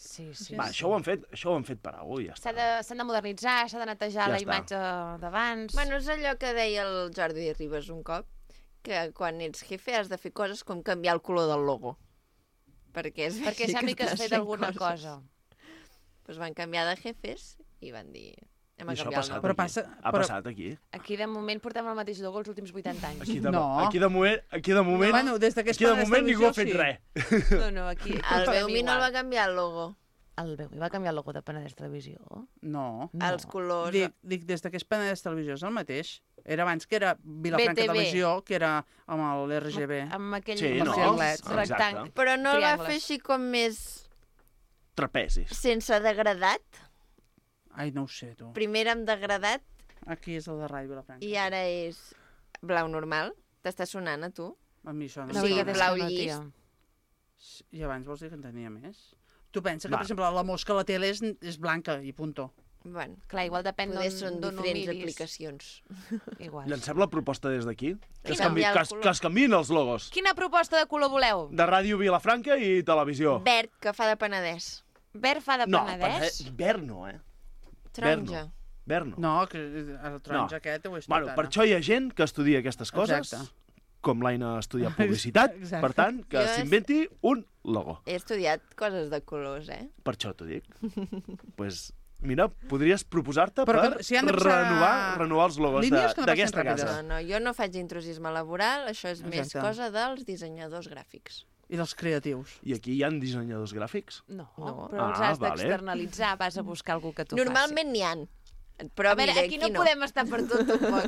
Sí, sí. Va, això ho han fet, això ho han fet per avui, ja està. S'ha de, s'han de modernitzar, s'ha de netejar Ja la està. imatge d'abans. Bueno, és allò que deia el Jordi Ribas un cop, que quan ets jefe has de fer coses com canviar el color del logo. Perquè és Perquè així sembli que has estàs fet fent alguna coses. cosa. Pues van canviar de jefes i van dir... Hem I això ha canviar el passat logo. Però aquí. passa- Ha però- passat aquí. Aquí, de moment, portem el mateix logo els últims vuitanta anys. Aquí de, No. aquí de moment, aquí de moment, Bueno, des de que és aquí de per moment ningú ha fet televisió, res. No, no, aquí... El portem Beumi no el igual. va canviar el logo. El Beumi va canviar el logo de Penedès Televisió? No. No. Els colors... Dic, dic, des de que és Penedès Televisió és el mateix. Era abans que era Vilafranca B T V. Televisió, que era amb l'R G B. Amb aquell Sí, amb no? els Exacte. rectang- Però no el va triangles. fer així com més Trapezis. sense degradat. Ai, no ho sé, tu. Primer era amb degradat Aquí és el de Ràdio Vilafranca. i ara és blau normal. T'està sonant a tu? A mi això no. No, Sí, sí, que blau no, llis. tia. I abans vols dir que en tenia més? Tu pensa que, Va. per exemple, la mosca a la tele és, és blanca i punto. Bueno, Clar, igual depèn poder d'on són d'on ho diferents miris. aplicacions. Igual. Llancem la proposta des d'aquí. Que, es Canviar canvi, el que, es, color. que es canviïn els logos. Quina proposta de color voleu? De Ràdio Vilafranca i televisió. Verd, que fa de Penedès. Verd fa de No, Penedès? per- verd no, eh? Taronja. Verd no. No, que el taronja No. aquest ho és tot Bueno, ara. per això hi ha gent que estudia aquestes coses, Exacte. com l'Aina ha estudiat publicitat, Exacte. per tant, que Jo és- s'inventi un logo. He estudiat coses de colors, eh? Per això t'ho dic. pues, mira, podries proposar-te Però per que si han de passar renovar, renovar els logos de- línies que no d'aquesta passin casa. No, no, jo no faig intrusisme laboral, això és més Exacte. cosa dels dissenyadors gràfics. I dels creatius. I aquí hi ha dissenyadors gràfics? No, No. però els Ah, has vale. d'externalitzar, vas a buscar algú que t'ho Normalment n'hi han. Però A veure, mira, aquí no, podem estar per tot tampoc.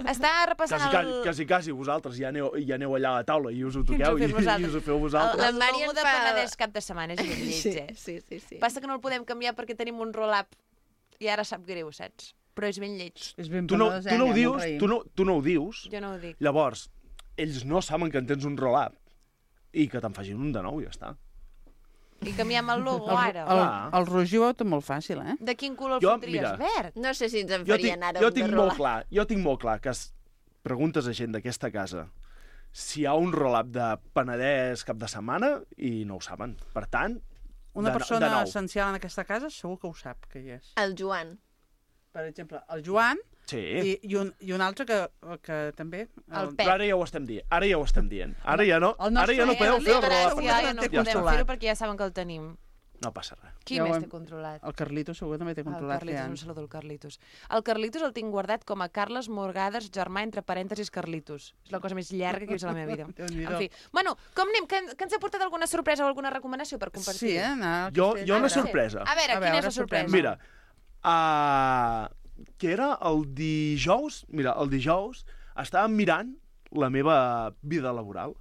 Està repassant Quasi, quasi, el... quasi, quasi vosaltres ja aneu, ja aneu allà a la taula i us ho ens ho toqueu fem i, vosaltres. i us ho feu El, vosaltres. La el Mari logo en de fa- Penedès cap de setmana és ben lleig, Sí, eh? sí, sí, sí. Passa que no el podem canviar perquè tenim un roll-up i ara sap greu, saps? Però és ben lleig. És ben Tu no, penedès, tu no eh, ho dius, molt raïm. tu no, tu no ho dius, Jo no ho dic. llavors, ells no saben que en tens un roll-up i que te'n facin un de nou i ja està. I canviem el logo El, ara. el, Ah. el Roger ho té molt fàcil, eh? De quin color el Jo, fotries? mira. Verd? No sé si ens en Jo farien tinc, ara jo un de tinc molt rolar. clar, jo tinc molt clar que es preguntes a gent d'aquesta casa si hi ha un roll-up de Penedès cap de setmana i no ho saben. Per tant, Una de, no- persona de nou. essencial en aquesta casa segur que ho sap, que hi és. El Joan. Per exemple, el Joan Sí, i, i, un, i un altre que, que també... El Pep. però ara ja ho estem dient. Ara ja ho estem dient. Ara ja no, El nostre ara ja no Pep, podeu el fer el Pep, roll-up. segur Gràcia, que ja no no té podem controlat. fer-ho perquè ja saben que el tenim. No passa res. Qui Ja ho més hem- té controlat? El Carlitos segur que també té El controlat. Carlitos, que un saludo al Carlitos. El Carlitos el tinc guardat com a Carles Morgades, germà, entre parèntesis, Carlitos. És la cosa més llarga que he vist a la meva vida. Déu-n'hi-do. En fi, bueno, com anem? Que, que ens ha portat alguna sorpresa o alguna recomanació per compartir? Sí, eh? Anar al Jo, castell. jo una Ah, sí. sorpresa. A veure, A quina veure, és la sorpresa? Mira, uh, que era el dijous, mira, el dijous estàvem mirant la meva vida laboral.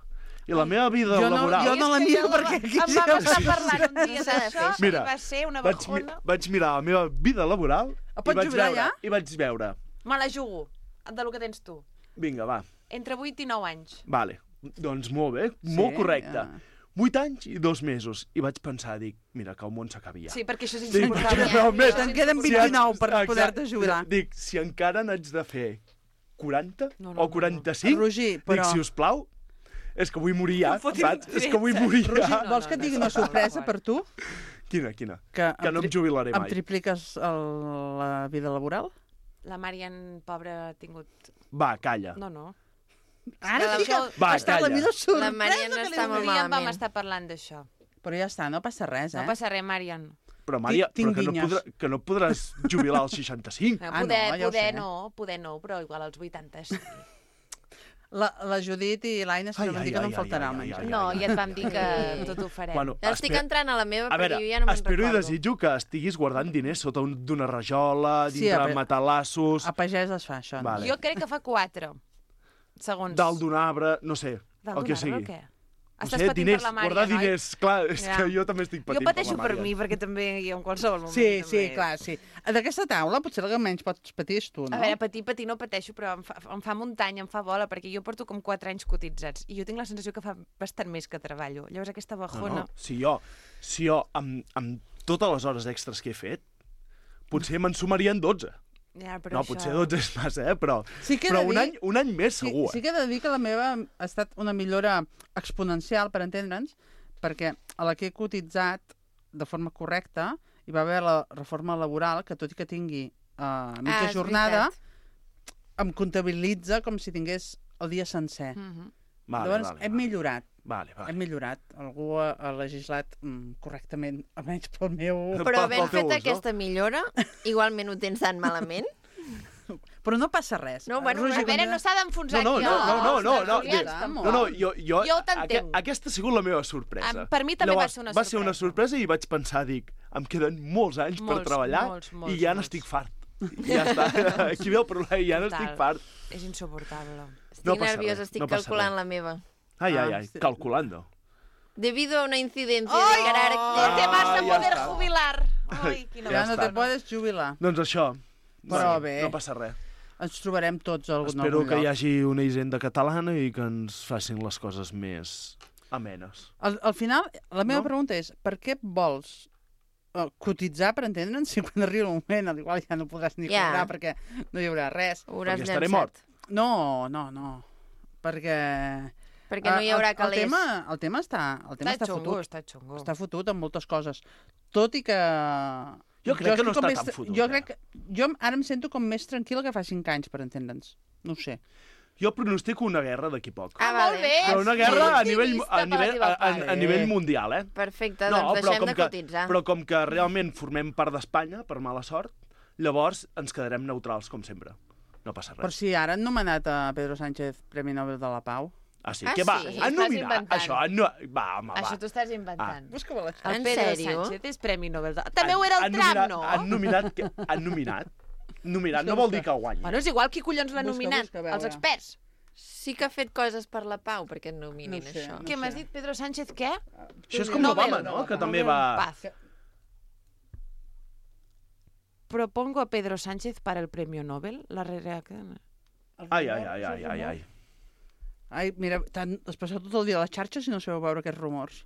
I la meva vida jo no- laboral... jo no la És que miro ja la- perquè aquí Em vam ja- estar parlant un dia S'ha de d'això fer. Mira, i va ser una vaig, mi bajona. vaig mirar la meva vida laboral Ah, i pots vaig, jubilar veure, ja? i vaig veure... Me la jugo, de lo que tens tu. Vinga, va, Entre vuit i nou anys. vale. Doncs molt bé, molt Sí, correcte. ja. Vuit anys i dos mesos. I vaig pensar, dic, mira, que el món s'acabi ja. Sí, perquè això és Dic, insuportable. realment, Això és Te'n queden insuportable. vint-i-nou per Exacte. poder-te jubilar. Dic, si encara n'haig de fer quaranta No, no, o no, quaranta-cinc, Roger, però... dic, si us plau, és que vull morir ja, No fotin saps? És que vull trets. morir Roger, ja. No, vols no, que et no, digui no, una no, no, sorpresa no. per tu? Quina, quina? Que, Que no em jubilaré em mai. tripliques el, la vida laboral? La Marian, pobra, ha tingut... Va, calla. No, no. Ara que sí que això- Va, està la calla. millor sorpresa La Mariana que li està dono. molt Un dia en vam malament. estar parlant d'això. Però ja està, no passa res, eh? No passa res, Marian. Però, Maria, Tinc- però que, no tinc podrà, que no podràs jubilar als seixanta-cinc. No, Ah, poder, no, ja ho poder sé. no, poder no, però igual als vuitanta sí. La, la Judit i l'Aina se Ai, van ai, dir que no ai, em faltarà ai, el ai, menjar. ai, No, ai. ja et vam dir que tot ho farem. Bueno, Ja estic espera- entrant a la meva, A veure, perquè jo ja no me'n espero i recordo. desitjo que estiguis guardant diners sota un- d'una rajola, Sí, dintre a de ve- matalassos, A pagès es fa això. No? Vale. Jo crec que fa quatre, segons... dalt d'un arbre, no sé, Dalt el que d'un arbre, sigui. o què? No Estàs sé, patint diners, per la Mària, guardar noi? diners, clar, és Ja. que jo també estic Jo patint pateixo per per la Mària. mi, perquè també jo en qualsevol moment... Sí, sí, també... clar, sí. D'aquesta taula potser el que menys pots patir és tu, no? A veure, patir, patir no pateixo, però em fa, em fa muntanya, em fa bola, perquè jo porto com quatre anys cotitzats i jo tinc la sensació que fa bastant més que treballo. Llavors aquesta No, bajona... no, si jo, si jo amb, amb totes les hores extres que he fet, potser me'n sumarien dotze. Ja, però No, això... potser dotze és massa, eh? Però, Sí que he però de un, dir- any, un any més Sí, segur. sí eh? que he de dir que la meva ha estat una millora exponencial, per entendre'ns, perquè a la que he cotitzat de forma correcta, hi va haver la reforma laboral, que tot i que tingui uh, mitja Ah, és jornada, veritat. em comptabilitza com si tingués el dia sencer. Mhm. Vale, Llavors, vale, hem vale. millorat. Vale, vale. Hem millorat. Algú ha, ha legislat mm, correctament, almenys pel meu... Però Pel havent teu fet ús, no? aquesta millora, igualment ho tens tan malament? Però no passa res. No, bueno, Roger, A veure, com- no s'ha d'enfonsar No, no, aquí. no, no, no, no, no, tertulians, no, tampoc. No, no, jo, jo, Jo t'entenc. aque- aquesta ha sigut la meva sorpresa. Em- per mi també va Llavors, ser una Va ser una sorpresa. sorpresa i vaig pensar, dic, em queden molts anys per Molts, treballar molts, molts, i ja molts. n'estic fart. I ja està. Aquí ve el problema, ja n'estic Total. fart. És insuportable. Estic No passa nerviosa, res, estic no passa calculant res. la meva. Ai, ai, Ah, ai, sí. calculando. Debido a una incidencia Ai! de carácter... No te vas a Ah, ja poder està. jubilar. Ai, quina Ja Ja no està. te podes jubilar. Doncs això. Però sí, bé. No passa res. Ens trobarem tots a algun, Espero algun que hi lloc. hagi una hisenda catalana i que ens facin les coses més amenes. Al, al final, la meva No? pregunta és, per què vols uh, cotitzar, per entendre'ns, si quan arribi el moment, al igual ja no podràs ni Ja. cobrar perquè no hi haurà res. Ho hauràs Perquè estaré llançat. mort. No, no, no. Perquè... Perquè no hi eh, haurà el, calés. el tema, el tema està, el tema Està està, xungo, fotut. està xungo. Està fotut en moltes coses. Tot i que... Jo crec que no estic com està més tan tra- fotut, Jo eh? crec que... Jo ara em sento com més tranquil·la que fa cinc anys, per entendre'ns. No ho sé. Jo pronostico una guerra d'aquí poc. Ah, molt vale. bé. Però una Sí, guerra a nivell, optimista a per la nivell, teva a, a, part. a nivell mundial, eh? Perfecte, No, doncs però deixem com, de que, cotitzar. però com que realment formem part d'Espanya, per mala sort, llavors ens quedarem neutrals, com sempre. No passa Per res. si ara han nomenat a Pedro Sánchez Premi Nobel de la Pau. Ah, sí? Ah, Què va? sí? Han Estàs nominat inventant. això? No... Va, home, va. Això t'ho estàs inventant. Busca-me la El En Pedro sèrio? Sánchez és Premi Nobel. De... També ho era el Han Trump, nominat, no? Han nominat... Que, han nominat? Nominat no vol dir que guanyi. Bueno, és igual qui collons l'ha Busca, nominat. busca, a veure. Els experts. Sí que ha fet coses per la pau, perquè et nominin No sé, això. no Què m'has sé. dit, Pedro Sánchez, què? Això és com Nobel. l'Obama, no? Que també va... Paz. Propongo a Pedro Sánchez para el premio Nobel. La reacción. Ai, ai, ai, ai, ai, ai. Ai, mira, tant, has passat tot el dia a les xarxes i no sabeu veure aquests rumors.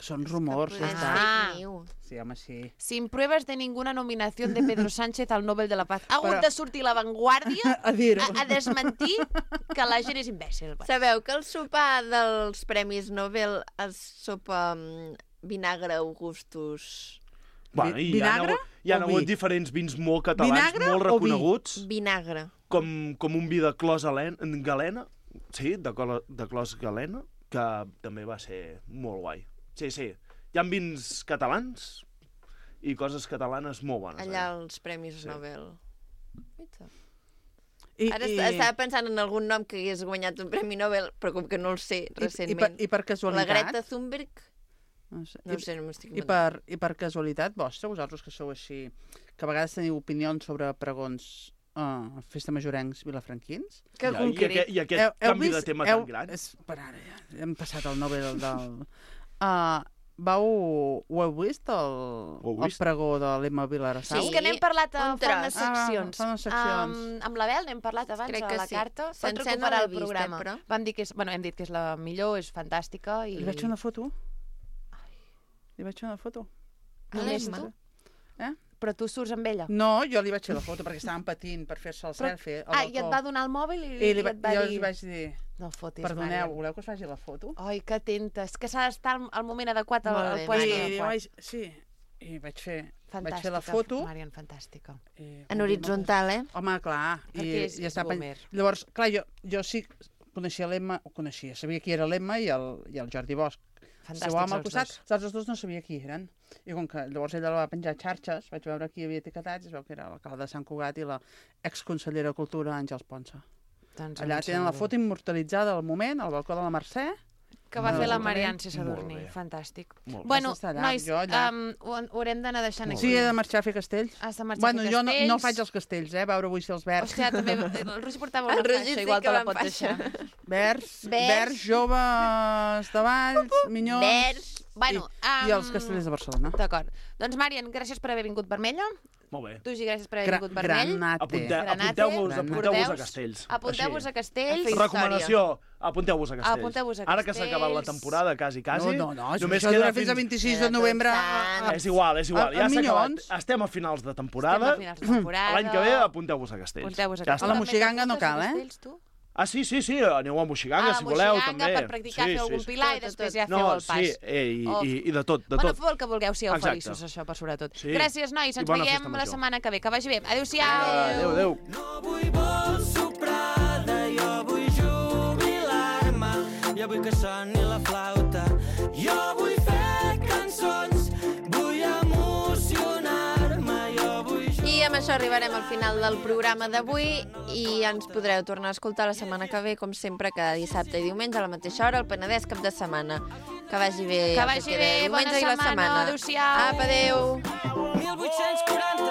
Són rumors, Que ja potser és està. Ah. fake news. Sí, home, sí. Sin pruebas de ninguna nominación de Pedro Sánchez al Nobel de la Paz. Ha hagut Però- de sortir La Vanguardia A dir-ho. a, a desmentir que la gent és imbècil. Sabeu que el sopar dels Premis Nobel es sopa amb vinagre Augustus? Bueno, i hi ha, Vinagre hagut, hi ha o hagut vi? diferents vins molt catalans, Vinagre molt o vi? reconeguts, Vinagre. com, com un vi de clos alen- galena, sí, de, colo, de clos galena, que també va ser molt guai. Sí, sí, hi ha vins catalans i coses catalanes molt bones. Allà eh? als Premis Sí. Nobel. Guaita. I, Ara i, est- estava pensant en algun nom que hagués guanyat un Premi Nobel, però com que no el sé i, i, per, recentment. I per La casualitat... Greta Thunberg? No sé, No i, sé, no m'estic i, per, I per casualitat vostra, vosaltres que sou així, que a vegades teniu opinions sobre pregons uh, festa majorencs vilafranquins? Que Ja, i, concret. aquest, I aquest canvi de tema tan gran. És, per ara, ja, hem passat el Nobel del... Uh, vau, ho heu vist, el, Ho heu el vist? pregó de l'Emma Vilarassau? Sí, és que n'hem parlat a un fa unes tros. Ah, seccions. fa unes seccions. Um, amb la Bel n'hem parlat abans Crec a que la sí. carta. Pot Sencera no recuperar l'he el vist, eh, programa. però. Vam dir que és, bueno, hem dit que és la millor, és fantàstica. I... Li vaig fer una foto? Li vaig fer una foto? Només L'Emma? tu? Eh? Però tu surts amb ella. No, jo li vaig fer la foto perquè estaven patint per fer-se el Però- selfie. al Ah, i et balcó. va donar el mòbil i, I, li i va, et va jo dir... li vaig dir, No fotis, perdoneu, Mària. voleu que us faci la foto? Ai, que atenta. És que s'ha d'estar al, al moment adequat, al, Molt al bé, puesto Mària. I, i adequat. vaig, sí, i vaig fer, Fantàstica, vaig fer la foto. Marian, fantàstica. I, En horitzontal, eh? Home, clar. Perquè és- i és està pen- boomer. Llavors, clar, jo, jo sí coneixia l'Emma, ho coneixia, sabia qui era l'Emma i, el, i el Jordi Bosch. Fantàstics Seu home al els costat, dos. els altres dos no sabia qui eren. I com que llavors ella la va penjar a xarxes, vaig veure qui havia etiquetats, i es veu que era l'alcalde de Sant Cugat i la exconsellera de Cultura, Àngels Ponsa. Doncs Allà em tenen la sembla. foto immortalitzada al moment, al balcó de la Mercè. Que va Molt fer la bé. Marian sense Molt Sadurní. bé. Fantàstic. Molt bé. Bueno, Vas estar allà, nois, jo allà. um, ho, ho haurem d'anar deixant Molt aquí. Sí, he de marxar a fer castells. Has de marxar Bueno, a fer jo no, castells. no faig els castells, eh? A veure avui si els verds. Hòstia, també... El Roger portava El una Roger faixa, sí igual que te la va pots amb deixar. Verds, Verds. verds, joves de Valls, minyons... Verds. Bueno, I, I els um, castellers de Barcelona. D'acord. Doncs, Marian, gràcies per haver vingut vermella. Molt bé. Tu, Gi, gràcies per haver Gra vingut vermell. granate. Apunte, Granate. apunteu-vos Granate. apunteu-vos a castells. Apunteu-vos a Així. castells. Història. Recomanació, apunteu-vos a castells. Apunteu-vos a Ara que s'ha acabat la castells. temporada, quasi, quasi, No, no, no, només això queda dura fins a vint-i-sis de novembre. Sant. És igual, és igual. A- Ja a s'ha acabat. Minyons. Estem a finals de Estem temporada. a finals de temporada. L'any que ve apunteu-vos a castells. Apunteu-vos a Ja A la està. Moixiganga no cal, eh? Castells, tu? Ah, sí, sí, sí, aneu a Moixiganga, a si voleu, Moixiganga, també. per practicar, sí, fer algun sí, pilar sí. i després Tot, ja tot. feu no, el pas. Sí, eh, i, Oh. i, i de tot, de Bueno, tot. feu el que vulgueu, sigueu Exacte. feliços, això, per sobretot. Sí. Gràcies, nois, I ens bona veiem festa la major. setmana que ve. Que vagi bé. Adéu-siau. Adéu, adéu. No vull vols soprada, jo vull jubilar-me. Jo vull que soni la flauta. Jo vull fer cançons, vull emocionar-me. Jo vull... I amb això arribarem al final del programa d'avui i ens podreu tornar a escoltar la setmana que ve, com sempre, cada dissabte i diumenge a la mateixa hora, al Penedès cap de setmana. Que vagi bé. Que el vagi queda bé, de bona diumenge i la setmana. setmana. Adéu-siau. Apa, adéu. mil vuit-cents quaranta